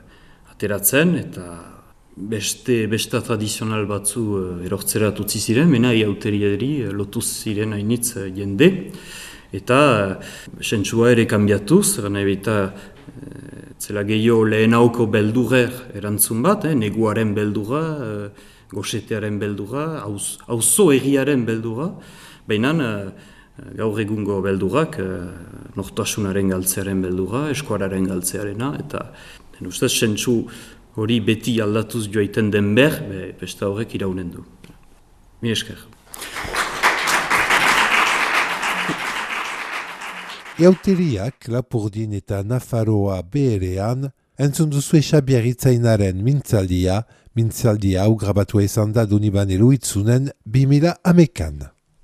ateratzen, eta Beste, besta tradizional batzu uh, erortzerat utzi ziren, mena iauteriari uh, lotuz ziren hainitz uh, jende, eta uh, sentsua ere kanbiatuz, gana ebita uh, zela gehiago lehenauko beldurrer erantzun bat, eh, neguaren beldurra, uh, goxetearen beldurra, auzo erriaren beldurra, baina uh, gaur egungo beldurrak, uh, nortasunaren galtzearen beldurra, eskuararen galtzearena, eta den ustez sentsu hori beti aldatuz joaiten den ber, be, besta horrek iraunen du. Mi esker. Iauteriak Lapurdin eta Nafarroa beherean, entzun duzue Xabier Itzainaren mintzaldia, mintzaldia hau grabatua izan da Donibane Luitzunen bi mila hamekan.